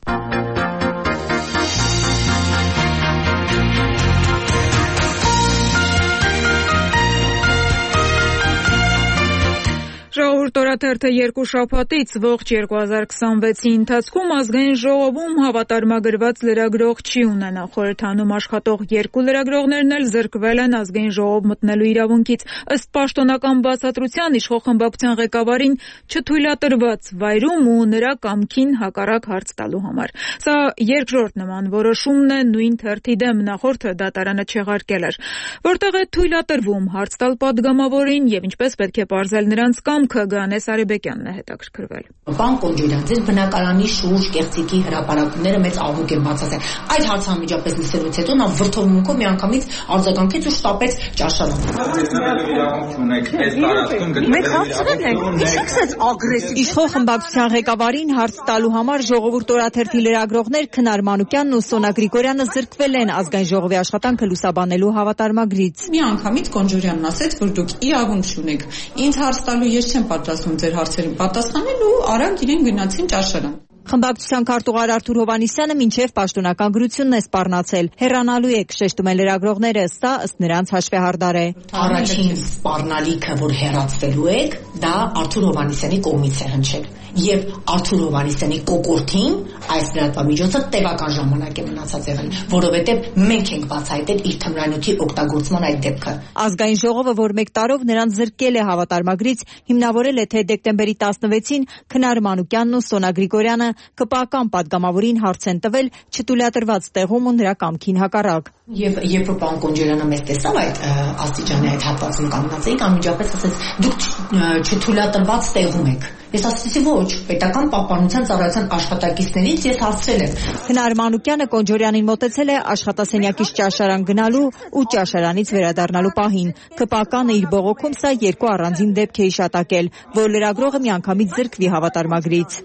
Ժողովուրդ օրաթերթը երկու շաբաթից ողջ երկու հազար քսանվեցի ընթացքում ազգային ժողովում հավատարմագրված լրագրող չի ունենա։ Խորհրդանում աշխատող երկու լրագրողներն էլ զրկվել են ազգային ժողով մտնելու իրավունքից, ըստ պաշտոնական բացատրության իշխող խմբակցության ղեկավարին չթույլատրված վայրում ու նրա կամքին հակառակ հարց տալու համար։ Սա երկրորդ նման որոշումն է նույն թերթի դեմ, նախորդը դատարանը չեղարկել էր։ Որտեղ է թույլատրվում հարց տալ падգամավորին եւ ինչպես պետք է պարզել նրանց կամ Գանես Արեբեկյանն է հետաքրքրվել։ Պարոն Կոնջուրյան, ձեր բնակարանի շուրջ կեղծիքի հրապարակումները մեծ աղմուկ են բացասել։ Այդ հարցը անմիջապես լսելուց հետո նա վրդովմունքով միանգամից արձագանքեց ու շտապեց ճաշարան։ Մենք հարցրել ենք, ի՞նչ սկսեց ագրեսիվ։ Իշխող խմբակցության ղեկավարին հարց տալու համար Ժողովուրդ օրաթերթի լրագրողներ Քնար Մանուկյանն ու Սոնա Գրիգորյանը զրկվել են ազգային ժողովի աշխատանքը լուսաբանելու հավատարմագրից։ Միանգամից Կոնջուրյանն ասեց, որ դուք իրավունք չունեք։ Ինձ հարց տալու ես չեմ պատրաստվում ձեր հարցերին պատասխանել ու արագ իրեն գնացին ճաշարան։ Խմբակցության քարտուղար Արթուր Հովհաննիսյանը մինչև պաշտոնական գրությունն է սպառնացել։ Հեռանալու եք, շեշտում են լրագրողները, սա ըստ նրանց հաշվեհարդար է։ Առաջին սպառնալիքը, որ հեռացվելու եք, դա Արթուր Հովհաննիսյանի կողմից է հնչել։ Եվ Արթուր Հովհաննիսյանի կոկորդին այս լրատվամիջոցը տևական ժամանակ է մնացած եղել, որովհետև մենք ենք բացահայտել իր թմրանյութի օգտագործման այդ դեպքը։ Ազգային ժողովը, որ մեկ տարով նրան զրկել է հավատարմագրից, հիմնավորել է, թե դեկտեմբերի տասնվեցին Քնար Մանուկյանն ու Սոնա Գրիգորյանը կպական падգամավորին հարց են տվել չթույլատրված տեղում ու նրա կամքին հակառակ։ Եվ երբ պարոն Կոնջուրյանը մեզ տեսավ այդ աստիճանի այդ հատվածում կանգնած էինք, անմիջապես ասեց՝ դուք չթույլատրված տեղում եք։ Ես ասեցի ոչ, պետական պահպանության ծառայության աշխատակիցներից ես հարցրել եմ։ Քնար Մանուկյանը Կոնջուրյանին մոտեցել է աշխատասենյակից ճաշարան գնալու ու ճաշարանից վերադառնալու պահին։ ԿՊԱԿ-ն իր բողոքում սա երկու առանձին դեպք է հիշատակել, որ լրագրողը միանգամից զրկվի հավատարմագրից։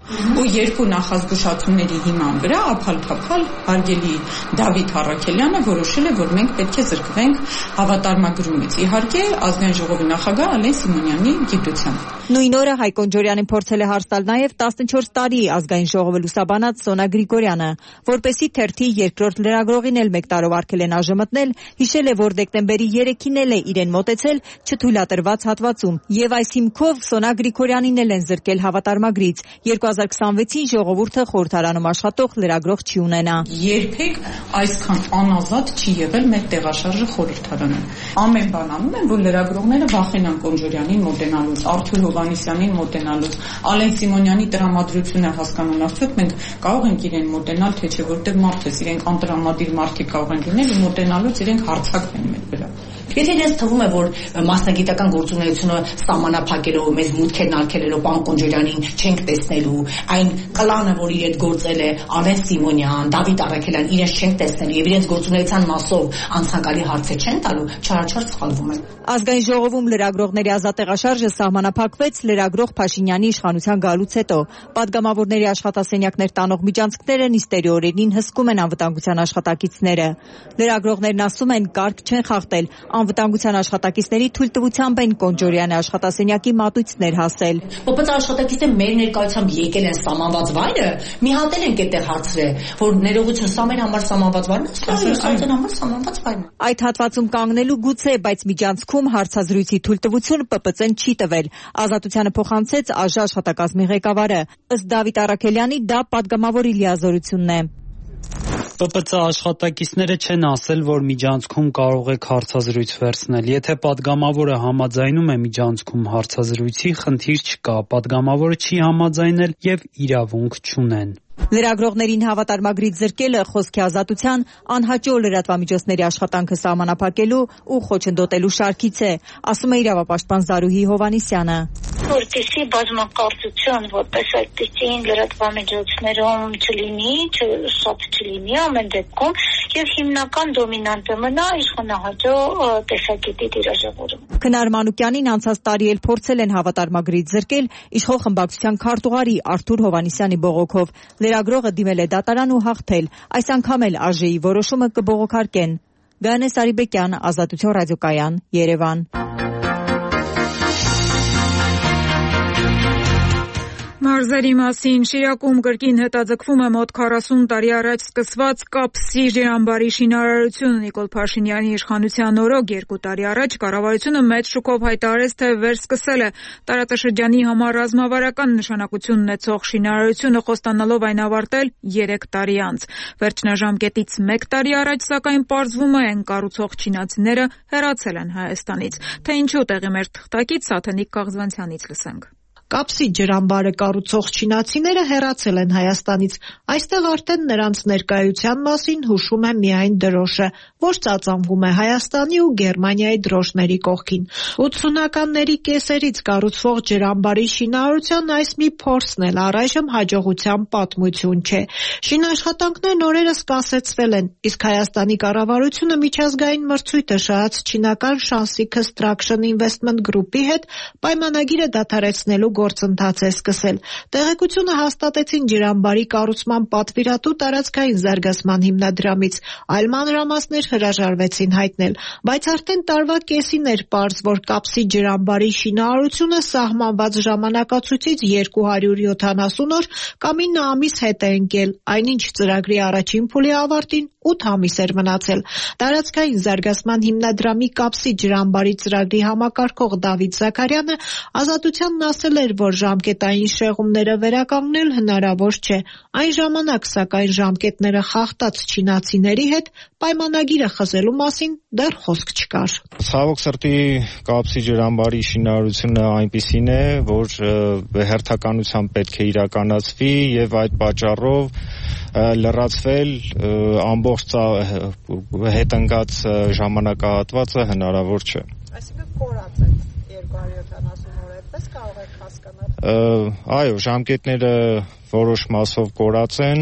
ու երկու նախազգուշացումների հիման վրա ափալ-փափալ հարգելի Դավիթ Առաքելյանը որոշել է, որ մենք պետք է զրկվենք հավատարմագրումից։ Իհարկե, ազգային ժողովի նախագահ Ալեն Սիմոնյանի գիտությամբ։ Նույն օրը Հայկ Օնջորյանին փորձել է հարց տալ նաև տասնչորս տարի ազգային ժողովը լուսաբանած Սոնա Գրիգորյանը, որպեսզի թերթի երկրորդ լրագրողին էլ մեկ տարով արգել են ԱԺՄ-նել, հիշել է, որ դեկտեմբերի երեքին էլ է իրեն մոտեցել չթույլատրված հատվածում, եւ այս հիմքով Սոնա Գրիգորյանին էլ են զրկել հավատարմագրից։ երկու հազար քսանվեցին ժողովուրդը խորհրդարանում աշխատող լրագրող չի ունենա։ Երբեք այսքան անազատ չի եղել մեր տեղաշարժը խորհրդարանը։ Ամեն բան անում են, որ լրագրողները վախենան Օնջորյանին մոտենալուց, Արթուր Հովհաննիսյանին մոտենալուց, Ալեն Սիմոնյանի տրամադրությունը հասկանուն արդյոք մենք կարող ենք իրեն մոտենալ, թե չէ, որտեղ մարդ է, իրենք անտրամադիր մարդիկ կարող են լինել ու մոտենալուց իրենք հարցակվեն մեր վրա։ Եթե ինձ թվում է, որ մասնագիտական գործունեությունը սահմանափակելով, մեզ մուտքերն արգելելով պարոն Օնջորյանին չենք տեսնելու, այն կլանը, որ իր հետ գործել է Ալեն Սիմոնյան, Դավիթ Առաքելյան, իրենց չենք տեսնելու եւ իրենց գործունեության մասով անցանկալի հարցեր չեն տալու, չարաչար սխալվում են։ Ազգային ժողովում լրագրողների ազատ տեղաշարժը սահմանափակվեց լրագրող Փաշինյանի իշխանության գալուց հետո։ Պատգամավորների աշխատասենյակներ տանող միջանցքները նիստերի օրերին հսկում են անվտանգության աշխատակիցները։ Լրագրողներն ասում են, կարգ չեն խախտել, անվտանգության աշխատակիցների թույլտվությամբ են Օնջորյանի աշխատասենյակի մատույցներ հասել։ Բայց աշխատակիցները մեր ներկայությամբ եկել են սահմանված վայրը, մի հատ էլ են կետեղ հարցրել, որ ներողություն, սա մեր համար սահմանված վայրն է, սա մեր համար սահմանված վայրն է։ Այդ հատվածում կանգնելու գուցե, բայց միջանցքում հարցազրույցի թույլտվություն ՊՊՑ-ն չի տվել։ Ազատությանը փոխանցեց ԱԺ աշխատակազմի ղեկավարը։ Ըստ Դավիթ Առաքելյանի, դա պատգամավորի լիազորությունն է։ ՊՊՑ աշխատակիցները չեն ասել, որ միջանցքում կարող եք հարցազրույց վերցնել։ Եթե պատգամավորը համաձայնում է միջանցքում հարցազրույցի, խնդիր չկա, պատգամավորը չի համաձայնել եւ իրավունք չունեն։ Լրագրողներին հավատարմագրից զրկելը խոսքի ազատության, անհաճո լրատվամիջոցների աշխատանքը սահմանափակելու ու խոչընդոտելու շարքից է, ասում է իրավապաշտպան Զարուհի Հովհաննիսյանը։ Որպեսզի բազմակարծություն որպես այդպիսին լրատվամիջոցներում չլինի, շատ չլինի ամեն դեպքում եւ հիմնական դոմինանտը մնա իշխանահաճո տեսակետի դիրաժավորում։ Քնար Մանուկյանին անցած տարի էլ փորձել են հավատարմագրից զրկել իշխող խմբակցության քարտուղարի Արթուր Հովհաննիսյանի բողոքով։ Լրագրողը դիմել է դատարան ու հաղթել։ Այս անգամ էլ ԱԺ-ի որոշումը կբողոքարկեն։ Գայանե Սարիբեկյան, Ազատություն ռադիոկայան, Երևան։ Մարզերի մասին Շիրակում կրկին հետաձգվում է մոտ քառասուն տարի առաջ սկսված կապսի ջրամբարի շինարարությունը։ Նիկոլ Փաշինյանի իշխանության օրոք երկու տարի առաջ կառավարությունը մեծ շուկով հայտարարեց, թե վերսկսել է տարածաշրջանի համար ռազմավարական նշանակություն ունեցող շինարարությունը, խոստանալով այն ավարտել երեք տարի անց։ Վերջնաժամկետից մեկ տարի առաջ, սակայն, պարզվում է, այն կառուցող չինացիները հեռացել են Հայաստանից։ Թե ինչու, տեղի մեր թղթակից Սաթենիկ Կաղզվանցյանից լսենք։ Կապսի ջրամբարը կառուցող չինացիները հեռացել են Հայաստանից։ Այստեղ արդեն նրանց ներկայության մասին հուշում է միայն դրոշը, որ ծածանվում է Հայաստանի ու Գերմանիայի դրոշների կողքին։ ութսունականների կեսերից կառուցվող ջրամբարի շինարարության այս մի փորձն էլ առայժմ հաջողության պատմություն չէ։ Շինաշխատանքներն օրերս կասեցվել են, իսկ Հայաստանի կառավարությունը միջազգային մրցույթը շահած չինական Shanxi Construction Investment Group-ի հետ պայմանագիրը դադարեցնելու գործընթաց է սկսել։ Տեղեկությունը հաստատեցին ջրամբարի կառուցման պատվիրատու տարածքային զարգացման հիմնադրամից, այլ մանրամասներ հրաժարվեցին հայտնել, բայց արդեն տարվա կեսին էր պարզ, որ կապսի ջրամբարի շինարարությունը սահմանված ժամանակացույցից երկու հարյուր յոթանասուն օր կամ ինը ամիս հետ է ընկել, այնինչ ծրագրի առաջին փուլի ավարտին ութ ամիս էր մնացել։ Տարածքային զարգացման հիմնադրամի կապսի ջրամբարի ծրագրի համակարգող Դավիթ Զաքարյանը Ազատությանն ասել էր, որ ժամկետային շեղումները վերականգնել հնարավոր չէ։ Այն ժամանակ, սակայն, ժամկետները խախտած չինացիների հետ պայմանագիրը խզելու մասին դեռ խոսք չկար։ Ցավոք սրտի կապսի ջրամբարի շինարարությունը այնպիսին է, որ հերթականությամբ պետք է իրականացվի եւ այդ պատճառով լրացվել ամբողջ հետընկած ժամանակահատվածը հնարավոր չէ։ Այսինքն կորած է երկու հարյուր յոթանասուն օր, այդպես կարող եք հասկանալ։ Այո, ժամկետները որոշ մասով կորած են,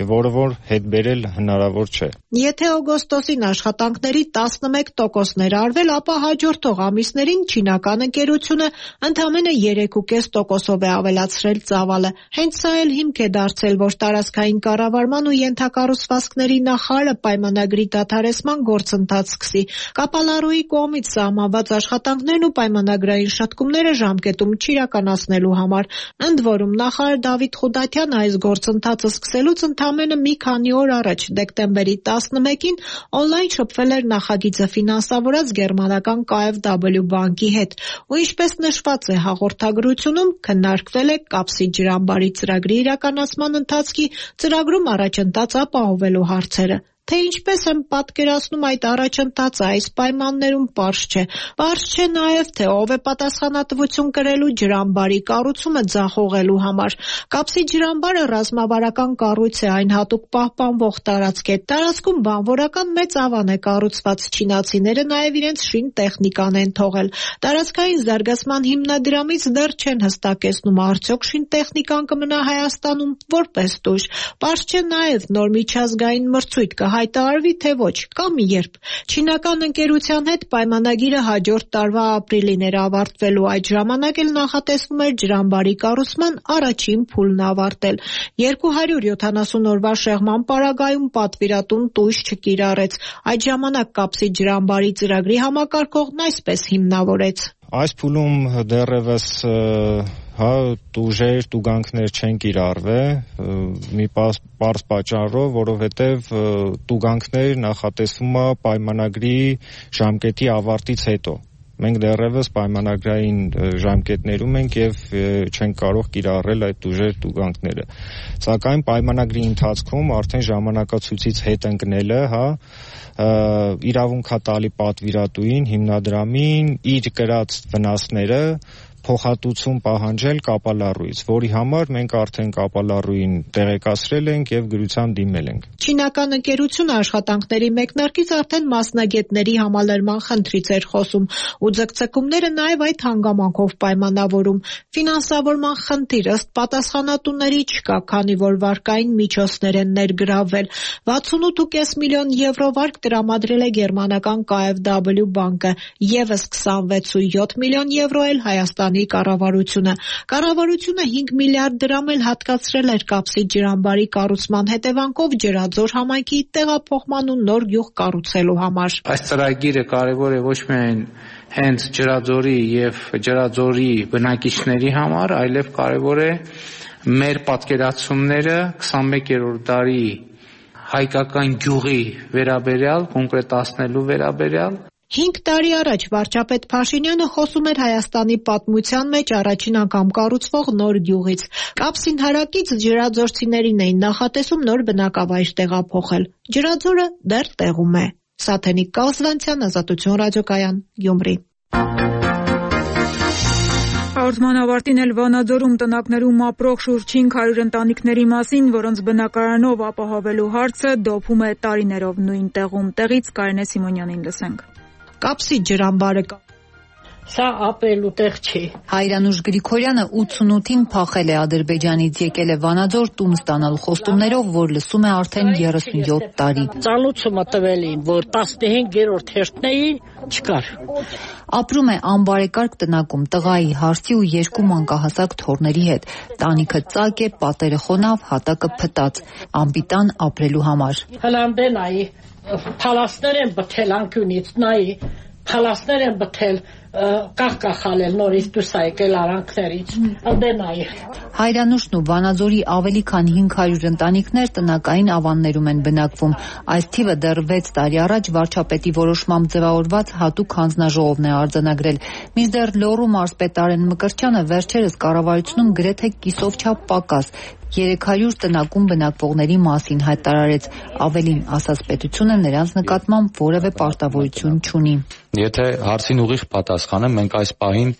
որը որ հետ բերել հնարավոր չէ։ Եթե օգոստոսին աշխատանքների տասնմեկ տոկոսն էր արվել, ապա հաջորդող ամիսներին չինական ընկերությունը ընդամենը երեք կόμμα պենս տոկոսով է ավելացրել ծավալը։ Հենց սա էլ հիմք է դարձել, որ տարածքային կառավարման ու ենթակառուցվածքների նախարարը պայմանագրի դադարեցման գործընթաց սկսի։ Կապալառուի կողմից սահմանված աշխատանքներն ու պայմանագրային շտկումները ժամկետում չիրականացնելու համար։ Ընդ որում նախարար Դավիթ Խուդատյանը այս գործընթացը սկսելուց ընդամենը մի քանի օր առաջ, դեկտեմբերի տասնմեկին, օնլայն շփվել էր նախագիծը ֆինանսավորած գերմանական K F W բանկի հետ, ու ինչպես նշված է հաղորդագրությունում, քննարկվել է կապսի ջրամբարի ծրագրի իրականացման ընթացքի ծրագրում առաջընթաց ապահովելու հարցերը։ Թե ինչպես եմ պատկերացնում այդ առաջընթացը այս պայմաններում պարզ չէ։ Պարզ չէ նաև, թե ով է պատասխանատվություն կրելու ջրամբարի կառուցումը ձախողելու համար։ Կապսի ջրամբարը ռազմավարական կառույց է, այն հատուկ պահպանվող տարածք է։ Տարածքում բանվորական մեծ ավան է կառուցված, չինացիները նաև իրենց շին տեխնիկան են թողել։ Տարածքային զարգացման հիմնադրամից դեռ չեն հստակեցնում, արդյոք շին տեխնիկան կմնա Հայաստանում որպես տույժ։ Պարզ չէ նաև նոր միջազգային մրցույթ կհայտնվի հայտարարվի թե ոչ, կամ երբ։ Չինական ընկերության հետ պայմանագիրը հաջորդ տարվա ապրիլին էր ավարտվելու, այդ ժամանակ էլ նախատեսվում էր ջրամբարի կառուցման առաջին փուլն ավարտել։ երկու հարյուր յոթանասուն օրվա շեղման պարագայում պատվիրատուն տույժ չկիրառեց։ Այդ ժամանակ կապսի ջրամբարի ծրագրի համակարգողն այսպես հիմնավորեց. Այս փուլում դեռևս հա տուժեր, տուգանքներ չեն կիրառվել մի պարզ պատճառով, որովհետև տուգանքներ նախատեսվում է պայմանագրի ժամկետի ավարտից հետո։ Մենք դեռևս պայմանագրային ժամկետներում ենք եւ չենք կարող կիրառել այդ տուժեր տուգանքները։ Սակայն պայմանագրի ընթացքում արդեն ժամանակացույցից հետ ընկնելը, հա, իրավունք է տալի պատվիրատուին, հիմնադրամին իր կրած վնասները փոխհատուցում պահանջել կապալառուից, որի համար մենք արդեն կապալառուին տեղեկացրել ենք եւ գրությամբ դիմել ենք։ Չինական ընկերությունը աշխատանքների մեկնարկից արդեն մասնագետների համալրման խնդրից էր խոսում ու ձգձգումները նաեւ այդ հանգամանքով պայմանավորում։ Ֆինանսավորման խնդիր ըստ պատասխանատուների չկա, քանի որ վարկային միջոցներ են ներգրավվել։ վաթսունութ կόμμα պենս միլիոն եվրո վարկ տրամադրել է գերմանական K F W բանկը, եւս քսանվեց կόμμα յոթ միլիոն եվրո էլ Հայաստանի կառավարությունը։ Կառավարությունը հինգ միլիարդ դրամ էլ հատկացրել էր կապսի ջրամբարի կառուցման հետևանքով Ջրաձոր համայնքի տեղափոխման ու նոր գյուղ կառուցելու համար։ Այս ծրագիրը կարևոր է ոչ միայն հենց Ջրաձորի եւ Ջրաձորի բնակիչների համար, այլև կարևոր է մեր պատկերացումները քսանմեկերորդ դարի հայկական գյուղի վերաբերյալ կոնկրետացնելու վերաբերյալ։ Հինգ տարի առաջ վարչապետ Փաշինյանը խոսում էր Հայաստանի պատմության մեջ առաջին անգամ կառուցվող նոր գյուղից։ Կապսին հարակից ջրաձորցիներին էին նախատեսում նոր բնակավայր տեղափոխել։ Ջրաձորը դեռ տեղում է։ Սաթենիկ Կազվանցյան, Ազատություն ռադիոկայան, Գյումրի։ Հաղորդման ավարտին էլ Վանաձորում տնակներում ապրող շուրջ հինգ հարյուր ընտանիքների մասին, որոնց բնակարանով ապահովելու հարցը դոփում է տարիներով նույն տեղում։ Տեղից Կարինե Սիմոնյանին լսենք։ Կապսի ջրամբարը Սա ապրելու տեղ չի։ Հայրանուշ Գրիգորյանը ութսունութին փախել է Ադրբեջանից, եկել է Վանաձոր տուն ստանալու խոստումներով, որ լսում է արդեն երեսունյոթ տարի։ Ծանուցումը տվել էին, որ տասնհինգերորդ հերթներին չկար։ Ապրում է անբարեկարգ տնակում տղայի, հարսի ու երկու մանկահասակ թոռների հետ։ Տանիքը ծակ է, պատերը խոնավ, հատակը փտած։ Անպիտան ապրելու համար։ Հլանդե նայի, փալասներ են բթել անկյունից, նայի, փալասներ են բթել, կախկախալել նորից դուրս եկել արանքներից, ըդենայի։ Հայրանուշն ու Վանաձորի ավելի քան հինգ հարյուր ընտանիքներ տնակային ավաններում են բնակվում։ Այս թիվը դեռ վեց տարի առաջ վարչապետի որոշմամբ ձևավորված հատուկ հանձնաժողովն է արձանագրել։ Մինչդեռ Լոռու մարզպետ Արեն Մկրտչյանը վերջերս կառավարությունում գրեթե կիսով չափ պակաս երեք հարյուր տնակում բնակվողների մասին հայտարարեց։ Ավելին, ասաց պետությունը նրանց նկատմամբ որևէ պարտավորություն չունի։ Եթե հարցին ուղիղ պատասխանը, մենք այս պահին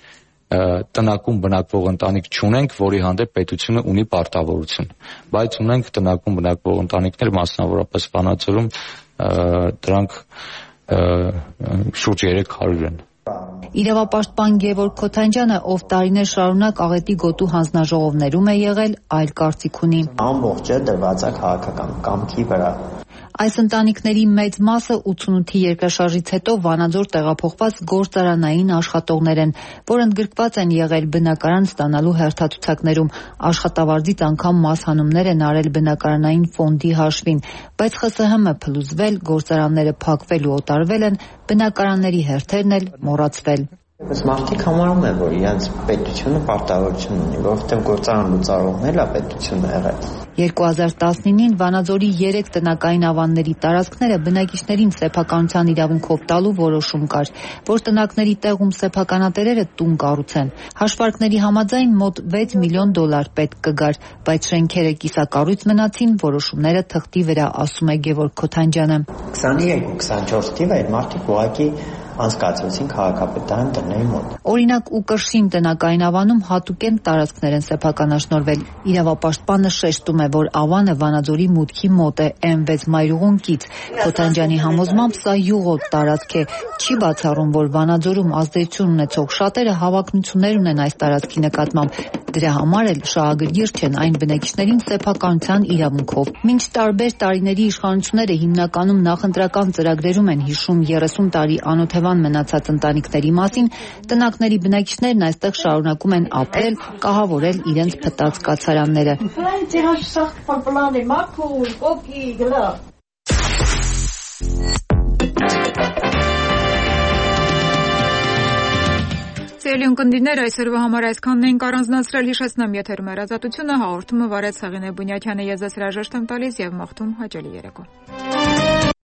տնակում բնակվող ընտանիք չունենք, որի հանդեպ պետությունը ունի պարտավորություն, բայց ունենք տնակում բնակվող ընտանիքներ, մասնավորապես Վանաձորում դրանք շուրջ երեք հարյուր են։ Իրավապաշտպան Գևորգ Քոթանջյանը, ով տարիներ շարունակ աղետի գոտու հանձնաժողովներում է եղել, այլ կարծիք ունի։ Ամբողջը դրված է քաղաքական կամքի վրա։ Այս ընտանիքների մեծ մասը ութսունութի երկրաշարժից հետո Վանաձոր տեղափոխված գործարանային աշխատողներ են, որ ընդգրկված են եղել բնակարան ստանալու հերթացուցակներում, աշխատավարձից անգամ մասհանումներ են արել բնակարանային ֆոնդի հաշվին, բայց Խ Ս Հ Մ փլուզվել, գործարանները փակվել ու օտարվել են, բնակարանների հերթերն էլ մոռացվել։ Բայց մարդիկ համարում են, որ իրենց պետությունը պարտավորություն ունի, որովհետև գործարան լուծարողն է պետությունը եղել։ երկու հազար տասնինին Վանաձորի երեք տնակային ավանների տարածքները բնակիչներին սեփականության իրավունքով տալու որոշում կար, որ տնակների տեղում սեփականատերերը տուն կառուցեն։ Հաշվարկների համաձայն մոտ վեց միլիոն դոլար պետք կգար, բայց շենքերը կիսակառույց մնացին, որոշումները թղթի վրա, ասում է Գևորգ Քոթանջյանը։ քսաներեք քսանչորս թիվը այդ մարդիկ ուղղակի անցկացրեցին քաղաքապետարան տների մոտ։ Օրինակ Ուկրշին տնակային ավանում հատուկեն տարածքներ են սեփականաշնորհվել։ Իրավապաշտպանը շեշտում է, որ ավանը Վանաձորի մուտքի մոտ է էմ վեց մայրուղուն կից։ Քոթանջյանի համոզմամբ սա յուղոտ տարածք է։ Չի բացառում, որ Վանաձորում ազդեցություն ունեցող շատերը հավակնություններ ունեն այս տարածքի նկատմամբ։ Դրա համար էլ շահագրգիռ չեն այն բնակիչներին սեփականության իրավունքով։ Մինչ տարբեր տարիների իշխանությունները հիմնականում նախընտրական ծրագրերում են հիշում երեսուն տարի անօթևան մնացած ընտանիքների մասին, տնակների բնակիչներն այստեղ շարունակում են ապրել, կահավորել իրենց փտած կացարանները։ Սիրելի ունկնդիրներ, այսօրվա համար այսքանն էինք առանձնացրել, հիշեցնեմ եթերում էր Ազատությունը, հաղորդումը վարեց Հեղինե Բունյաթյանը, ես ձեզ հրաժեշտ եմ տալիս եւ մաղթում հաճելի երեկո։